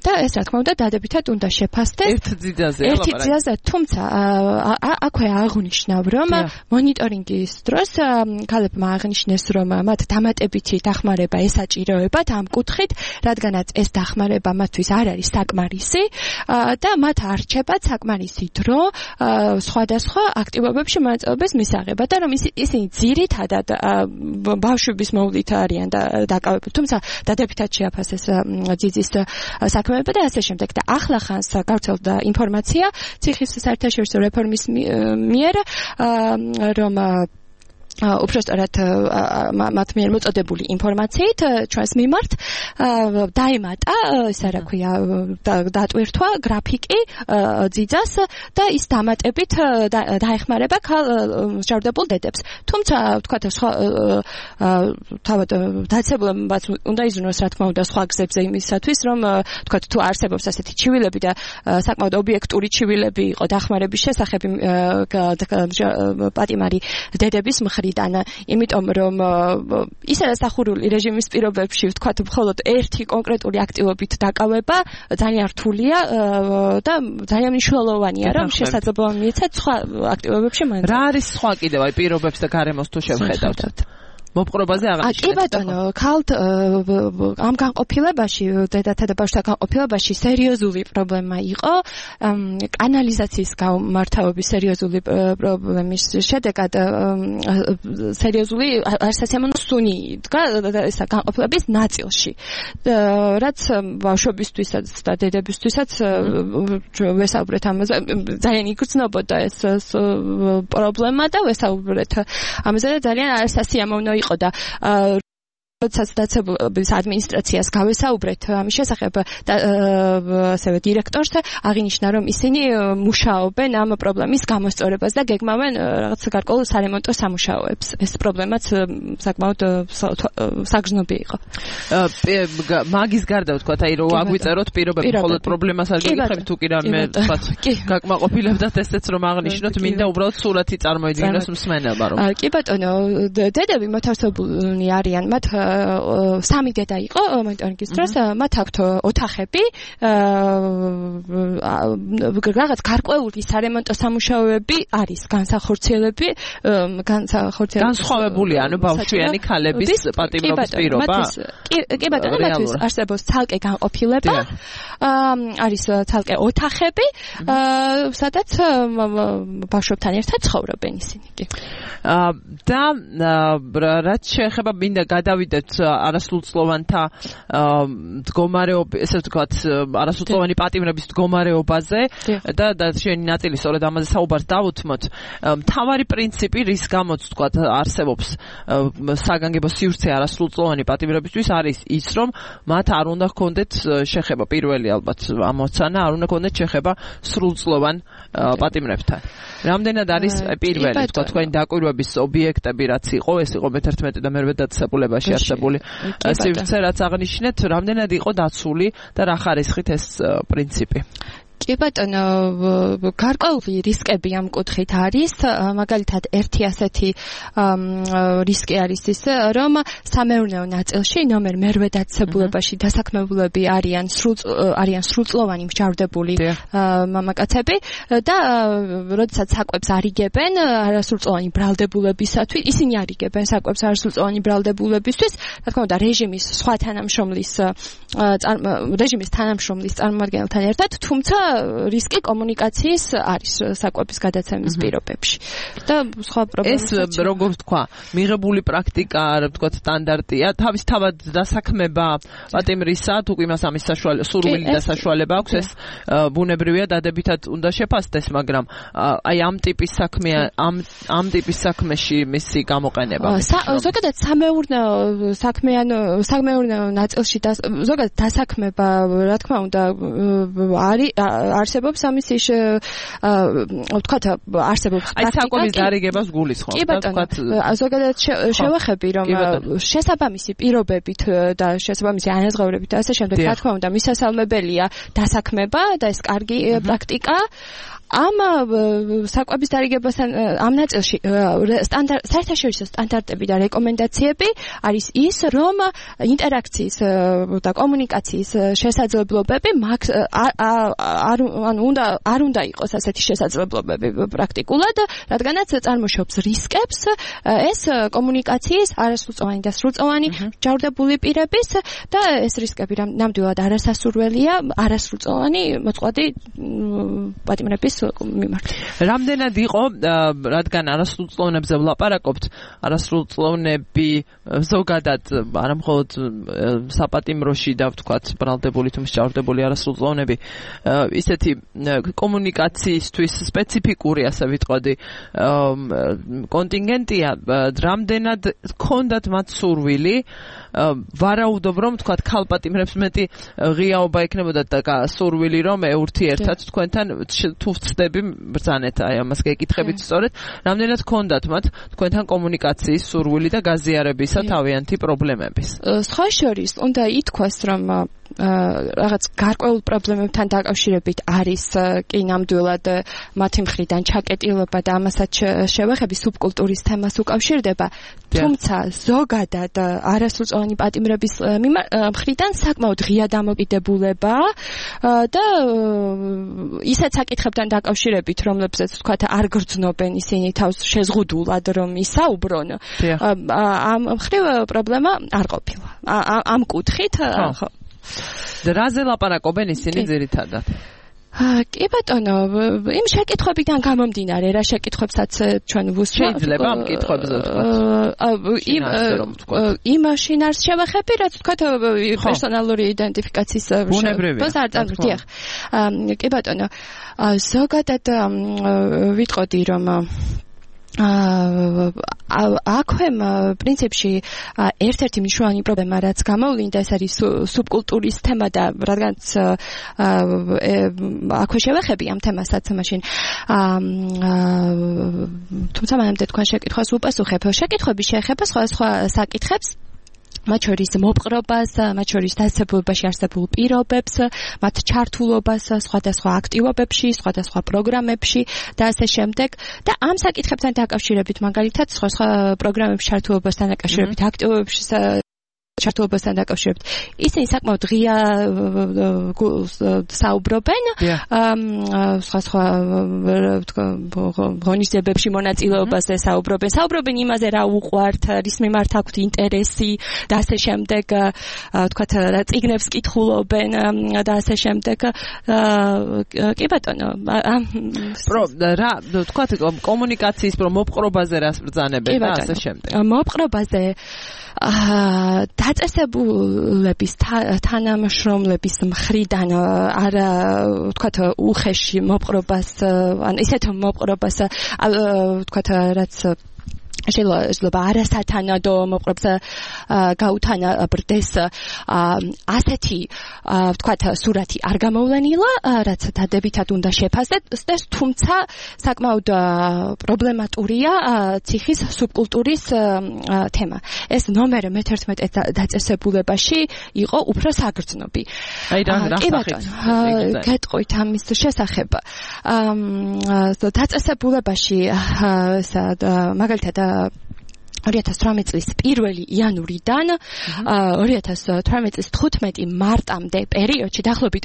და ეს რა თქმა უნდა დადებითად უნდა შეფასდეს ერთ ძიძაზე ერთი ძიძაზე, თუმცა აქვე აღნიშნავ, რომ მონიტორინგის დროს ქალებმა აღნიშნეს, რომ მათ დამატებითი დახმარება ესაჭიროებათ ამ კუთხით, რადგანაც ეს დახმარება მათთვის არ არის საკმარისი და მათ არჩებათ საკმარისი დრო სხვადასხვა აქტივობებში მონაწილეობის მისაღებად და რომ ისინი ძირითადად ბავშვების მოვლით არიან დაკავებული, თუმცა დადებითად შეაფასეს ძიძის საქმეება და ასე შემდეგ. და ახლა ხანს გავრცელდა ინფორმაცია ციხის საერთაშორისო რეფორმის მიერ, რომ უბრალოდ მათ მიერ მოწოდებული ინფორმაციით ჩვენს მიმართ დაემატა, ისე რა ქვია, დატვირთვა გრაფიკი ძიძას და ის დამატებით დაეხმარება მსჯავრდებულ დედებს. თუმცა ვთქვათ, სხვა თავად დაწესებულებაც უნდა იზრუნოს, რა თქმა უნდა, სხვა გზებზე იმისათვის, რომ ვთქვათ, თუ არსებობს ასეთი ჩივილები და საკმაოდ ობიექტური ჩივილები იყო დახმარების შესახებ პატიმარი დედების მხრიდან, იმიტომ რომ ისე დასახურული რეჟიმის პირობებში ვთქვათ, მხოლოდ ერთი კონკრეტული აქტივობით დაკავება ძალიან რთულია და ძალიან მნიშვნელოვანია, რომ შესაძლებლობა მიეცათ სხვა აქტივობებში მონაწილეობა. რა არის სხვა კიდევ აი პირობებს და გარემოს თუ შევხედავთ? მოპყრობაზე აღნიშნეთ. კი ბატონო, ქალთ ამ განყოფილებაში, დედათა და ბავშვთა განყოფილებაში სერიოზული პრობლემა იყო, კანალიზაციის გამართავების სერიოზული პრობლემის შედეგად სერიოზული არასასიამოვნო სუნი იდგა ესა განყოფილების ნაწილში. რაც ბავშვებისთვისაც და დედებისთვისაც ვესაუბრეთ ამაზე, ძალიან იგრძნობოდა ეს პრობლემა და ვესაუბრეთ ამაზე და ძალიან არასასიამოვნო იყო და როდესაც დაწესებულების ადმინისტრაციას გავესაუბრეთ ამის შესახებ და ასევე დირექტორს, აღინიშნა, რომ ისინი მუშაობენ ამ პრობლემის გამოსწორებას და გეგმავენ რაღაც გარკვეულ სარემონტო სამუშაოებს. ეს პრობლემაც საკმაოდ საგრძნობი იყო. მაგის გარდა ვთქვათ, აი რომ აგვიწეროთ პირობები, მხოლოდ პრობლემას არ გიგიხებთ, თუ კი რამე ვთქვათ, გაკმაყოფილებდათ ესეც რომ აღნიშნოთ, მინდა უბრალოდ სურათი წარმოიდგინოს მსმენელმა რომ. კი ბატონო, დედები მოთავსებულნი არიან, მათ სამი დედა იყო მონიტორინგის დროს, მათ აქვთ ოთახები, რაღაც გარკვეული სარემონტო სამუშაოები არის განსახორციელები, განსახორციელები. განსხვავებული, ანუ ბავშვიანი ქალების პატიმრობის პირობა. კი ბატონო, მათთვის არსებობს ცალკე განყოფილება, არის ცალკე ოთახები, სადაც ბავშვებთან ერთად ცხოვრობენ ისინი. და რაც შეეხება მინდა გადავიდეთ არასრულწლოვანთა მდგომარეობა, ესე ვთქვათ, არასრულწლოვანი პატიმრების მდგომარეობაზე და და შენი ნაწილი სწორედ ამაზე საუბარს დავუთმოთ. მთავარი პრინციპი, რის გამოც ვთქვათ არსებობს საგანგებო სივრცე არასრულწლოვანი პატიმრებისთვის, არის ის, რომ მათ არ უნდა ჰქონდეთ შეხება, პირველი ალბათ ამოცანა, არ უნდა ჰქონდეთ შეხება სრულწლოვან პატიმრებთან. რამდენად არის პირველი, ვთქვათ, თქვენი დაკვირვების ობიექტები, რაც იყო, ეს იყო მეთერთმეტე და მერვე დაწესებულებაში არსებული სივრცე, რაც აღნიშნეთ, რამდენად იყო დაცული და რა ხარისხით ეს პრინციპი? კი ბატონო, გარკვეული რისკები ამ კუთხით არის, მაგალითად ერთი ასეთი რისკი არის ის, რომ სამეურნეო ნაწილში ნომერ მერვე დაწესებულებაში დასაქმებულები არიან არიან სრულწლოვანი მსჯავრდებული მამაკაცები და როდესაც საკვებს არიგებენ არასრულწლოვანი ბრალდებულებისათვის, ისინი არიგებენ საკვებს არასრულწლოვანი ბრალდებულებისთვის, რა თქმა უნდა, რეჟიმის სხვა თანამშრომლის რეჟიმის თანამშრომლის წარმომადგენელთან ერთად, თუმცა რისკი კომუნიკაციის არის საკვების გადაცემის პირობებში. და სხვა პრობლემებიც ეს როგორ ვთქვა, მიღებული პრაქტიკა, რა ვთქვა, სტანდარტია, თავისთავად დასაქმება პატიმრისა, თუ იმას ამის საშუალება, სურვილი და საშუალება აქვს, ეს ბუნებრივია, დადებითად უნდა შეფასდეს, მაგრამ აი ამ ტიპის საქმე, ამ ამ ტიპის საქმეში მისი გამოყენება. ზოგადად სამეურნეო საქმეან სამეურნეო ნაწილში და ზოგადად დასაქმება, რა თქმა უნდა, არის არსებობს ამის ის ვთქვათ, არსებობს აი საკვების დარიგებას გულისხმობ და ვთქვათ, ზოგადად შევახები, რომ შესაბამისი პირობებით და შესაბამისი ანაზღაურებით და ასე შემდეგ, რა თქმა უნდა, მისასალმებელია დასაქმება და ეს კარგი პრაქტიკა. ამ საკვების დარიგებასთან ამ ნაწილში სტანდარტ საერთაშორისო სტანდარტები და რეკომენდაციები არის ის, რომ ინტერაქციის და კომუნიკაციის შესაძლებლობები არ უნდა არ უნდა იყოს ასეთი შესაძლებლობები პრაქტიკულად, რადგანაც წარმოშობს რისკებს ეს კომუნიკაციის არასრულწლოვანი და სრულწლოვანი ჯავრდებული პირების და ეს რისკები ნამდვილად არასასურველია არასრულწლოვანი მოწყვლადი პატიმრების მიმართ. რამდენად იყო, რადგან არასრულწლოვნებზე ვლაპარაკობთ, არასრულწლოვნები ზოგადად არა მხოლოდ საპატიმროში და ვთქვათ, ბრალდებული თუ მსჯავრდებული არასრულწლოვნები, ისეთი კომუნიკაციისთვის სპეციფიკური, ასე ვიტყოდი, კონტინგენტია, რამდენად ჰქონდათ მათ სურვილი, ვარაუდობ, რომ ვთქვათ, ქალპატიმრებს მეტი ღიაობა ექნებოდათ და სურვილი, რომ ეურთიერთად თქვენთან თუ ვწდები ბრძანეთ, აი ამას გეკითხებით სწორედ, რამდენად ჰქონდათ მათ თქვენთან კომუნიკაციის სურვილი და გაზიარებისა თავიანთი პრობლემების. სხვა შორის უნდა ითქვას, რომ რაღაც გარკვეულ პრობლემებთან დაკავშირებით არის კი ნამდვილად მათი მხრიდან ჩაკეტილება და ამასაც შევეხები სუბკულტურის თემას უკავშირდება, თუმცა ზოგადად არასრულწლოვანი პატიმრების მხრიდან საკმაოდ ღია დამოკიდებულება და ისეთ საკითხებთან დაკავშირებით, რომლებზეც ვთქვათ არ გრძნობენ ისინი თავს შეზღუდულად რომ ისაუბრონ, ამ მხრივ პრობლემა არ ყოფილა. ამ კუთხით ხო რაზე ლაპარაკობენ ისინი ძირითადად? კი ბატონო, იმ შეკითხვებიდან გამომდინარე, რა შეკითხვებსაც ჩვენ ვუსვამთ. შეიძლება ამ კითხვებზე ვთქვათ. იმ შინაარს შევახები, რაც ვთქვათ პერსონალური იდენტიფიკაციის ბუნებრივია. დიახ. კი ბატონო, ზოგადად ვიტყოდი, რომ აქვე პრინციპში ერთ-ერთი მნიშვნელოვანი პრობლემა, რაც გამოვლინდა, ეს არის სუბკულტურის თემა და რადგანაც აქვე შევეხები ამ თემასაც მაშინ თუმცა მანამდე თქვენ შეკითხვას უპასუხებ. შეკითხვები შეეხება სხვადასხვა საკითხებს, მათ შორის მოპყრობას, მათ შორის დასაწყებულობაში არსებულ პირობებს, მათ ჩართულობას სხვადასხვა აქტივობებში, სხვადასხვა პროგრამებში და ასე შემდეგ. და ამ საკითხებთან დაკავშირებით, მაგალითად, სხვა პროგრამებში ჩართულობასთან დაკავშირებით, აქტივობებში ჩართულობასთან დაკავშირებით, ისინი საკმაოდ ღია საუბრობენ სხვა-სხვა ღონისძიებებში მონაწილეობაზე საუბრობენ, საუბრობენ იმაზე, რა უყვართ, რის მიმართ აქვთ ინტერესი და ასე შემდეგ, ვთქვათ, წიგნებს კითხულობენ და ასე შემდეგ. კი ბატონო, რა ვთქვათ, კომუნიკაციის მოპყრობაზე რას ბრძანებენ და ასე შემდეგ. მოპყრობაზე დაწესებულების თანამშრომლების მხრიდან არა ვთქვათ უხეში მოპყრობას, ან ისეთ მოპყრობას ვთქვათ, რაც შეიძლება არასათანადო მოპყრობს გაუთანა ბრდეს ასეთი ვთქვათ სურათი არ გამოვლენილა, რაც დადებითად უნდა შეფასდეს, თუმცა საკმაოდ პრობლემატურია ციხის სუბკულტურის თემა. ეს ნომერ მეთერთმეტე დაწესებულებაში იყო უფრო საგრძნობი. აი რა რა გეტყვით ამის შესახებ. დაწესებულებაში მაგალითად ორი ათას თვრამეტი წლის პირველი იანვრიდან ორი ათას თვრამეტი წლის თხუთმეტი მარტამდე პერიოდში დაახლოებით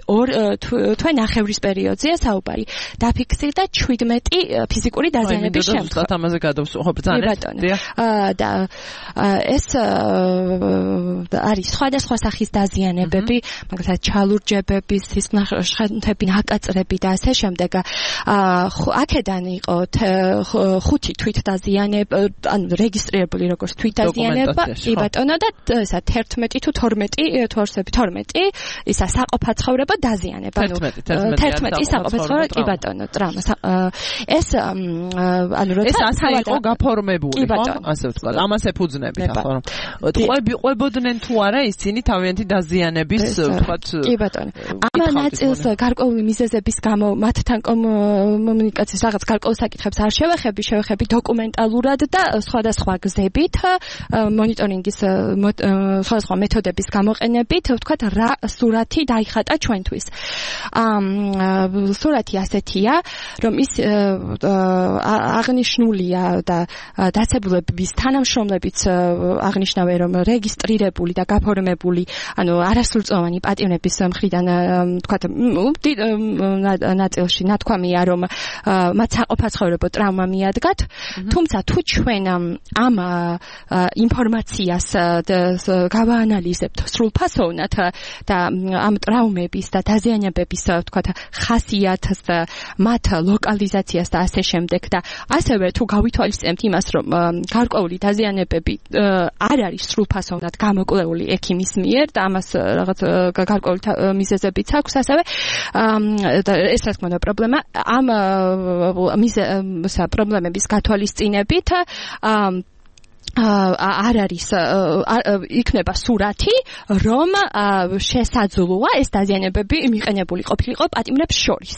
თვე ნახევრის პერიოდზეა საუბარი დაფიქსირდა შვიდმეტი ფიზიკური დაზიანების შემთხვევა. ამაზე გადავსვახო ბრძანეთ. და ეს არის სხვადასხვა სახის დაზიანებები, მაგალითად ჩალურჯებები, სისხლნახევრები, ნაკაწრები და ასე შემდეგ. აქედან იყო ხუთი თვით დაზიანება, ანუ რეგისტრირებული როგორც თვითდაზიანება, კი ბატონო და ესა თერთმეტი თუ თორმეტი, თორსები თორმეტი, ისა საყოფაცხოვრებო დაზიანება, ანუ თერთმეტი საყოფაცხოვრებო, კი ბატონო, ტრაუმა. ეს ანუ როცა ეს ასე იყო გაფორმებული, ხო? ასე ვთქვა. ამას ეფუძნებით ახლა რომ ყვები ყვებოდნენ თუ არა ისინი თავიანთი დაზიანების ვთქვათ. კი ბატონო. ამ ნაწილს გარკვეული მიზეზების გამო მათთან კომუნიკაციის რაღაც გარკვეულ საკითხებს არ შევეხები, შევეხები დოკუმენტალურად და სხვადასხვა გზებით, მონიტორინგის სხვადასხვა მეთოდების გამოყენებით, ვთქვათ, რა სურათი დაიხატა ჩვენთვის. ამ სურათი ასეთია, რომ ის აღნიშნულია და დაცებულების თანამშრომლებიც აღნიშნავენ, რომ რეგისტრირებული და გაფორმებული, ანუ არასრულწლოვანი პატიმრების მხრიდან, ვთქვათ, ნაწილში ნათქვამია, რომ მათ საყოფაცხოვრებო ტრავმა მიადგათ, თუმცა თუ ჩვენ ამ ინფორმაციას გავაანალიზებთ სრულფასოვნად და ამ ტრავმების და დაზიანებების, ვთქვათ, ხასიათს და მათ ლოკალიზაციას და ასე შემდეგ და ასევე თუ გავითვალისწინებთ იმას, რომ გარკვეული დაზიანებები არ არის სრულფასოვნად გამოკვლეული ექიმის მიერ და ამას რაღაც გარკვეული მიზეზებიც აქვს ასევე და ეს რა თქმა უნდა პრობლემა ამ მიზეზ პრობლემების გათვალისწინებით არ არის იქნება სურათი, რომ შესაძლოა ეს დაზიანებები მიყენებული ყოფილიყო პატიმრებს შორის.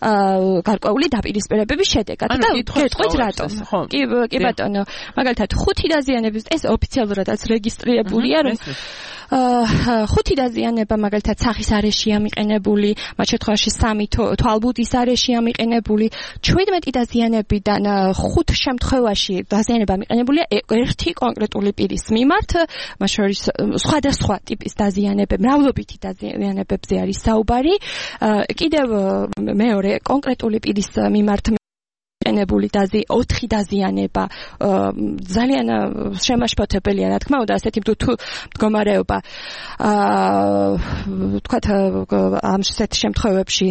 გარკვეული დაპირისპირებების შედეგად და გეტყვით რატომ. კი კი ბატონო, მაგალითად ხუთი დაზიანების ეს ოფიციალურადაც რეგისტრირებულია, რომ ხუთი დაზიანება მაგალითად სახის არეშია მიყენებული, მათ შემთხვევაში სამი თვალბუდის არეშია მიყენებული, შვიდმეტი დაზიანებიდან ხუთ შემთხვევაში დაზიანება მიყენებულია ერთი კონკრეტული პირის მიმართ, მათ შორის სხვადასხვა ტიპის დაზიანებები, მრავლობითი დაზიანებებზე არის საუბარი. კიდევ მეორე კონკრეტული პირის მიმართ მიყენებული დაზი ოთხი დაზიანება ძალიან შემაშფოთებელია, რა თქმა უნდა, ასეთი თუ მდგომარეობა ვთქვათ ამ შესეთ შემთხვევებში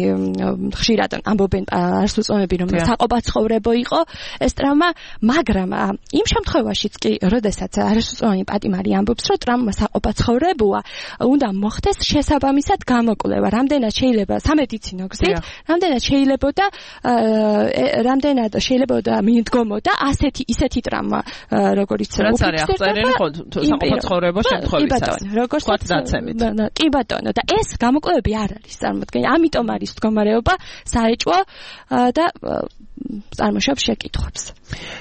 ხშირად ამბობენ არასრულწლოვანები, რომ საყოფაცხოვრებო იყო ეს ტრავმა, მაგრამ იმ შემთხვევაშიც კი, როდესაც არასრულწლოვანი პატიმარი ამბობს, რომ ტრავმა საყოფაცხოვრებოა, უნდა მოხდეს შესაბამისად გამოკვლევა, რამდენად შეიძლება სამედიცინო გზით, რამდენად შეიძლებოდა რამდენად შეიძლება მიდგომოდა ასეთი ისეთი ტრავმა, როგორიც რაც არის აღწერილი ხო საყოფაცხოვრებო შემთხვევისას. როგორც დაცემით. კი ბატონო, და ეს გამოკვლევები არ არის წარმოქმნილი. ამიტომ არის მდგომარეობა საეჭვო და წარმოშობს შეკითხვებს.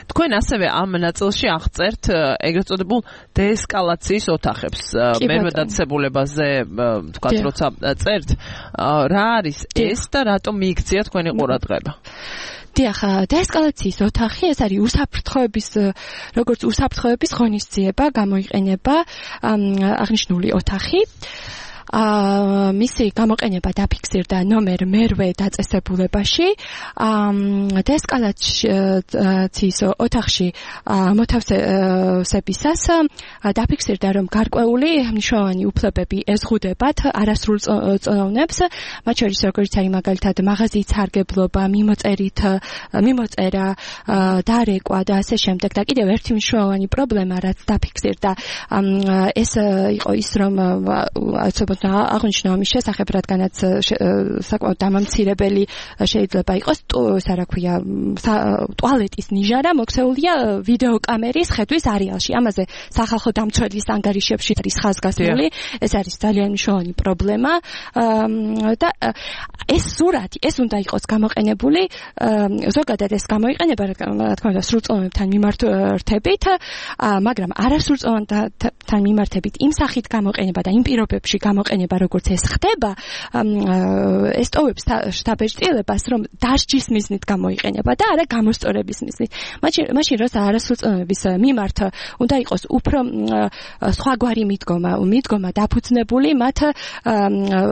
თქვენ ასევე ამ ნაწილში აღწერთ ეგრეთ წოდებულ დეესკალაციის ოთახებს. მერვე დაწესებულებაზე თქვათ, როცა წერთ, რა არის ეს და რატომ მიიქცია თქვენი ყურადღება? დიახ, დეესკალაციის ოთახი ეს არის უსაფრთხოების, როგორც უსაფრთხოების ღონისძიება გამოიყენება აღნიშნული ოთახი. მისი გამოყენება დაფიქსირდა ნომერ მერვე დაწესებულებაში. დეესკალაციის ოთახში მოთავსებისას დაფიქსირდა, რომ გარკვეული მნიშვნელოვანი უფლებები ეზღუდებათ არასრულწლოვნებს, მათ შორის როგორც არის მაგალითად მაღაზიის სარგებლობა, მიმოწერით, მიმოწერა, დარეკვა და ასე შემდეგ. და კიდევ ერთი მნიშვნელოვანი პრობლემა, რაც დაფიქსირდა, ეს იყო ის, რომ აღნიშნა ამის შესახებ, რადგანაც საკმაოდ დამამცირებელი შეიძლება იყოს, ეს რა ქვია, ტუალეტის ნიჟარა მოქცეულია ვიდეოკამერის ხედვის არეალში. ამაზე სახალხო დამცველის ანგარიშებში არის ხაზგასმული, ეს არის ძალიან მნიშვნელოვანი პრობლემა და ეს სურათი, ეს უნდა იყოს გამოყენებული, ზოგადად ეს გამოიყენება, რა თქმა უნდა, სრულწლოვანებთან მიმართებით, მაგრამ არასრულწლოვანებთან მიმართებით იმ სახით გამოყენება და იმ პირობებში გამო გამოყენება როგორც ეს ხდება ეს ტოვებს შტაბ-ერთიანობას რომ დასჯის მიზნით გამოიყენება და არა გამოსწორების მიზნით მაშინ მაშინ როცა არასრულწლოვნების მიმართ უნდა იყოს უფრო სხვაგვარი მიდგომა მიდგომა დაფუძნებული მათ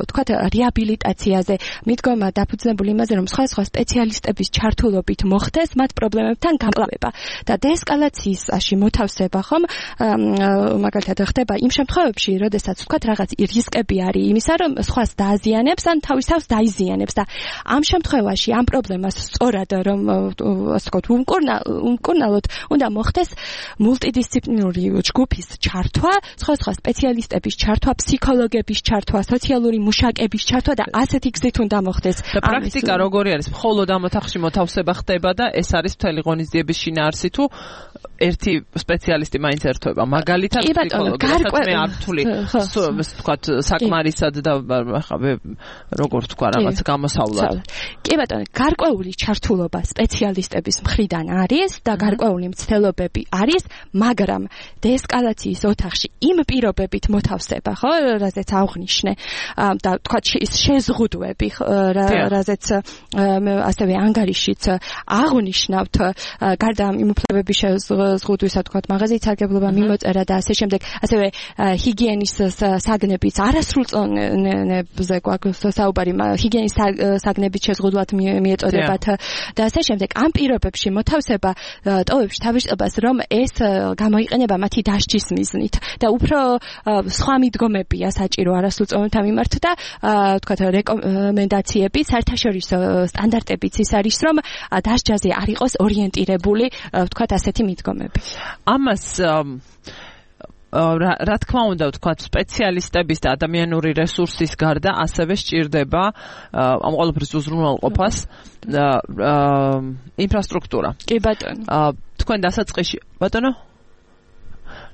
თქვათ რეაბილიტაციაზე მიდგომა დაფუძნებული იმაზე რომ სხვა სხვა სპეციალისტების ჩართულობით მოხდეს მათ პრობლემებთან გამკლავება და დეესკალაციისაში მოთავსება ხომ მაგალითად ხდება იმ შემთხვევებში როდესაც თქვათ რაღაც რისკები არის იმისა რომ სხვას დააზიანებს ან თავის თავს დაიზიანებს და ამ შემთხვევაში ამ პრობლემას სწორად რომ ასე ვთქვათ უმკურნალოდ უნდა მოხდეს მულტიდისციპლინური ჯგუფის ჩართვა სხვა სხვა სპეციალისტების ჩართვა ფსიქოლოგების ჩართვა სოციალური მუშაკების ჩართვა და ასეთი გზით უნდა მოხდეს და პრაქტიკა როგორი არის მხოლოდ ამ ოთახში მოთავსება ხდება და ეს არის მთელი ღონისძიების შინაარსი თუ ერთი სპეციალისტი მაინც ერთვება მაგალითად ფსიქოლოგი რასაც მე არ ვთვლი ვთქვათ საკმარისად და ახლა როგორ ვთქვა რაღაც გამოსავლად კი ბატონო გარკვეული ჩართულობა სპეციალისტების მხრიდან არის და გარკვეული მცდელობები არის მაგრამ დეესკალაციის ოთახში იმ პირობებით მოთავსება ხო რაზეც აღნიშნე და ვთქვათ ის შეზღუდვები რაზეც ასევე ანგარიშიც აღნიშნავთ გარდა იმ უფლებების შეზღუდვისა თქვათ მაღაზიის სარგებლობა მიმოწერა და ასე შემდეგ ასევე ჰიგიენის საგნების არასრულწლოვნებზე გვაქვს საუბარი ჰიგიენის საგნების შეზღუდვად მიეწოდებათ და ასე შემდეგ ამ პირობებში მოთავსება ტოვებს თავისებას რომ ეს გამოიყენება მათი დასჯის მიზნით და უფრო სხვა მიდგომებია საჭირო არასრულწლოვნთა მიმართ და თქვათ რეკომენდაციები საერთაშორისო სტანდარტებიც ის არის რომ დასჯაზე არ იყოს ორიენტირებული ვთქვათ ასეთი მიდგომები. ამას რა თქმა უნდა ვთქვათ სპეციალისტების და ადამიანური რესურსის გარდა ასევე სჭირდება ამ ყველაფრის უზრუნველყოფას ინფრასტრუქტურა. კი ბატონო. თქვენ დასაწყისში ბატონო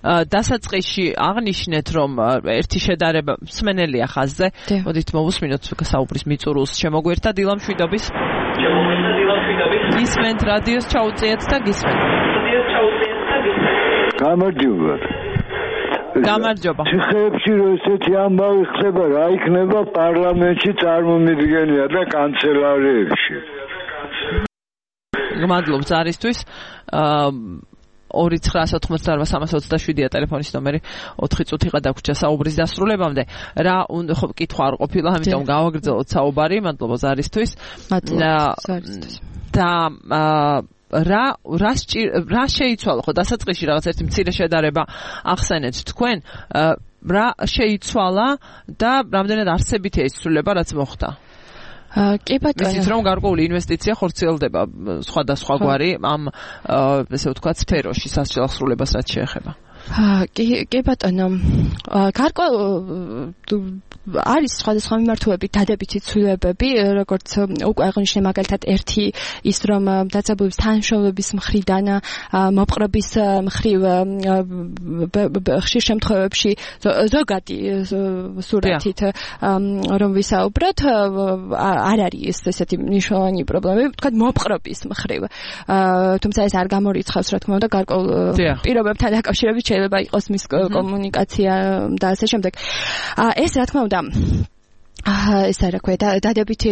დასაწყისში აღნიშნეთ რომ ერთი შედარება მსმენელია ხაზზე. მოდით მოვუსმინოთ საუბრის მიწურულს შემოგვერთა დილა მშვიდობის. შემოგვერთა დილა მშვიდობის. გისმენთ რადიოს ჩაუწიეთ და გისმენთ. რადიოს ჩაუწიეთ და გისმენთ. გამარჯობა. გამარჯობა. ციხეებში რო ესეთი ამბავი ხდება, რა იქნება პარლამენტში წარმომიდგენია და კანცელარიებში. გმადლობ ზარისთვის. ორი ცხრა ოთხმოცდაოთხ სამას ოცდაშვიდია ტელეფონის ნომერი ოთხი წუთიღა დაგვრჩა საუბრის დასრულებამდე რა ხო კითხვა არ ყოფილა ამიტომ გავაგრძელოთ საუბარი მადლობა ზარისთვის და რა რა რა შეიცვალა ხო დასაწყისში რაღაც ერთი მცირე შედარება ახსენეთ თქვენ რა შეიცვალა და რამდენად არსებითია ის ცვლილება რაც მოხდა კი ბატონო. ისიც რომ გარკვეული ინვესტიცია ხორციელდება სხვადასხვაგვარი ამ ესე ვთქვათ სფეროში სასჯელ აღსრულებას რაც შეეხება. კი კი ბატონო. გარკვეული არის სხვადასხვა მიმართულებით დადებითი ცვლილებები, როგორც უკვე აღნიშნე მაგალითად ერთი ის რომ დაწესებულების თანამშრომლების მხრიდან მოპყრობის მხრივ ხშირ შემთხვევებში ზოგადი სურათით რომ ვისაუბროთ არ არის ესეთი მნიშვნელოვანი პრობლემები, თქვა მოპყრობის მხრივ. თუმცა ეს არ გამორიცხავს რა თქმა უნდა გარკვეულ პირობებთან დაკავშირებით შეიძლება იყოს მის კომუნიკაცია და ასე შემდეგ. ეს რა თქმა უნდა ეს რა ქვია დადებითი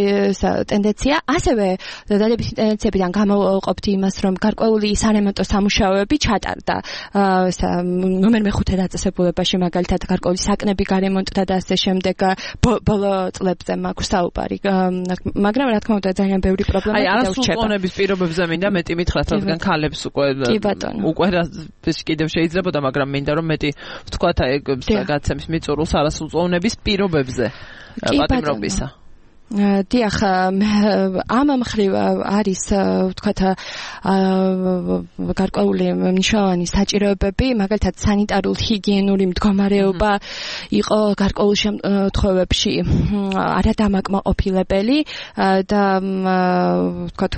ტენდენცია ასევე დადებითი ტენდენციებიდან გამოყოფთ იმას რომ გარკვეული სარემონტო სამუშაოები ჩატარდა ნომერ მეხუთე დაწესებულებაში მაგალითად გარკვეული საკნები გარემონტდა და ასე შემდეგ ბოლო წლებზე მაქვს საუბარი მაგრამ რა თქმა უნდა ძალიან ბევრი პრობლემა აი არასრულწლოვნების პირობებზე მინდა მეტი მითხრათ რადგან ქალებს უკვე უკვე კიდევ შეიძლებოდა მაგრამ მინდა რომ მეტი ვთქვათ აი გაცემს მიწურულს არასრულწლოვნების პირობებზე პატიმრობისა. დიახ, ამ მხრივ არის ვთქვათ გარკვეული მნიშვნელოვანი საჭიროებები, მაგალითად სანიტარულ ჰიგიენური მდგომარეობა იყო გარკვეულ შემთხვევებში არადამაკმაყოფილებელი და ვთქვათ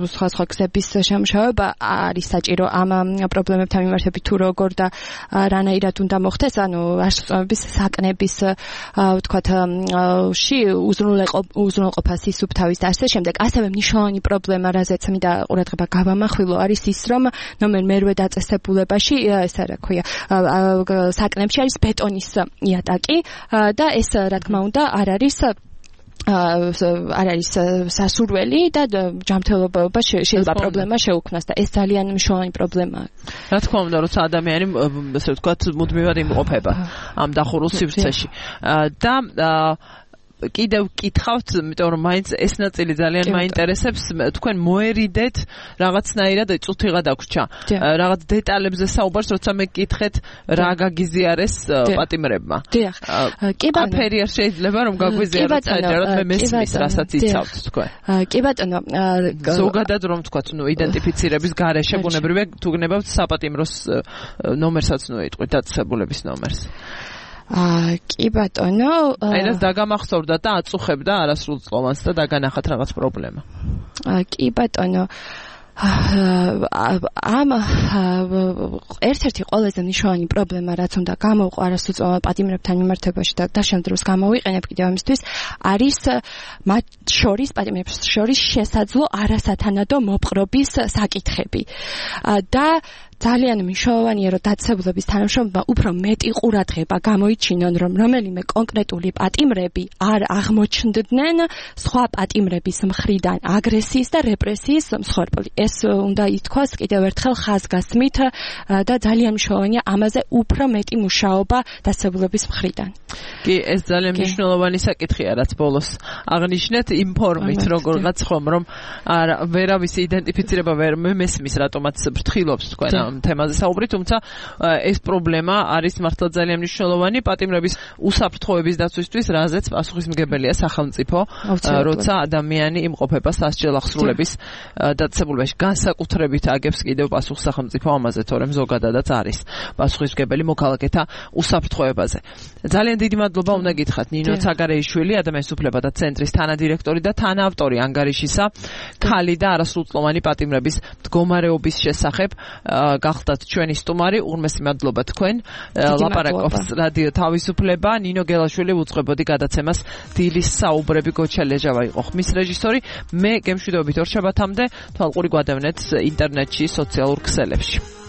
სხვა სხვა გზების შემუშავება არის საჭირო ამ პრობლემებთან მიმართებით თუ როგორ და რანაირად უნდა მოხდეს, ანუ არსებობის საკნების ვთქვათ ში უზრუნველყოფა უზრუნველყოფას ისუფთავის და ასე შემდეგ. ასევე მნიშვნელოვანი პრობლემა, რაზეც მინდა ყურადღება გავამახვილო, არის ის, რომ ნომერ მერვე დაწესებულებაში, ეს რა ქვია, საკნებში არის ბეტონის იატაკი და ეს რა თქმა უნდა არ არის არ არის სასურველი და ჯანმრთელობა შეიძლება პრობლემა შეუქმნას და ეს ძალიან მნიშვნელოვანი პრობლემაა. რა თქმა უნდა, როცა ადამიანი ასე ვთქვათ, მუდმივად იმყოფება ამ დახურულ სივრცეში და კიდევ ვკითხავთ, იმიტომ რომ მაინც ეს ნაწილი ძალიან მაინტერესებს, თქვენ მოერიდეთ რაღაცნაირად წუთიღა დაგვრჩა. რაღაც დეტალებზე საუბარს, როცა მე გკითხეთ რა გაგიზიარეს პატიმრებმა. დიახ. კი ბატონო. აფერი არ შეიძლება რომ გაგვიზიაროთ საერთოდ მე მესმის, რასაც იცავთ თქვენ. კი ბატონო. ზოგადად რომ ვთქვათ, ნუ იდენტიფიცირების გარეშე ბუნებრივია თუ გნებავთ საპატიმროს ნომერსაც ნუ იტყვით დაწესებულების ნომერს. აა კი ბატონო, აი ეს დაგამახსოვრდა და აწუხებდა არასრულწლოვანს და დაგანახათ რაღაც პრობლემა. აა კი ბატონო, ამ ერთ-ერთი ყველაზე მნიშვნელოვანი პრობლემა, რაც უნდა გამოვყო არასრულწლოვან პატიმრებთან მიმართებაში და დაშემდროს გამოვიყენებ კიდევ ამისთვის, არის მათ შორის პატიმრებს შორის შესაძლო არასათანადო მოპყრობის საკითხები. და ძალიან მნიშვნელოვანია, რომ დაწესებულების თანამშრომლობა უფრო მეტი ყურადღება გამოიჩინონ, რომ რომელიმე კონკრეტული პატიმრები არ აღმოჩნდნენ სხვა პატიმრების მხრიდან აგრესიის და რეპრესიის მსხვერპლი. ეს უნდა ითქვას კიდევ ერთხელ ხაზგასმით და ძალიან მნიშვნელოვანია ამაზე უფრო მეტი მუშაობა დაწესებულების მხრიდან. კი, ეს ძალიან მნიშვნელოვანი საკითხია, რაც ბოლოს აღნიშნეთ იმ ფორმით, როგორღაც ხომ რომ ვერავის იდენტიფიცირება ვერ მესმის, რატომაც ფრთხილობს თქვენ ამ თემაზე საუბრი, თუმცა ეს პრობლემა არის მართლა ძალიან მნიშვნელოვანი პატიმრების უსაფრთხოების დაცვისთვის, რაზეც პასუხისმგებელია სახელმწიფო, როცა ადამიანი იმყოფება სასჯელ აღსრულების დაწესებულებაში. განსაკუთრებით აგებს კიდევ პასუხს სახელმწიფო ამაზე, თორემ ზოგადადაც არის პასუხისმგებელი მოქალაქეთა უსაფრთხოებაზე. ძალიან დიდი მადლობა უნდა გითხრათ ნინო ცაგარეიშვილი, ადამიანის უფლებათა ცენტრის თანადირექტორი და თანაავტორი ანგარიშისა ქალი და არასრულწლოვანი პატიმრების მდგომარეობის შესახებ. გახდათ ჩვენი სტუმარი, ურმესი მადლობა თქვენ. ლაპარაკობს რადიო თავისუფლება, ნინო გელაშვილი უძღვებოდი გადაცემას დილის საუბრები, გოჩა ლეჟავა იყო ხმის რეჟისორი. მე გემშვიდობით ორ შაბათამდე თვალყური გვადევნეთ ინტერნეტში, სოციალურ ქსელებში.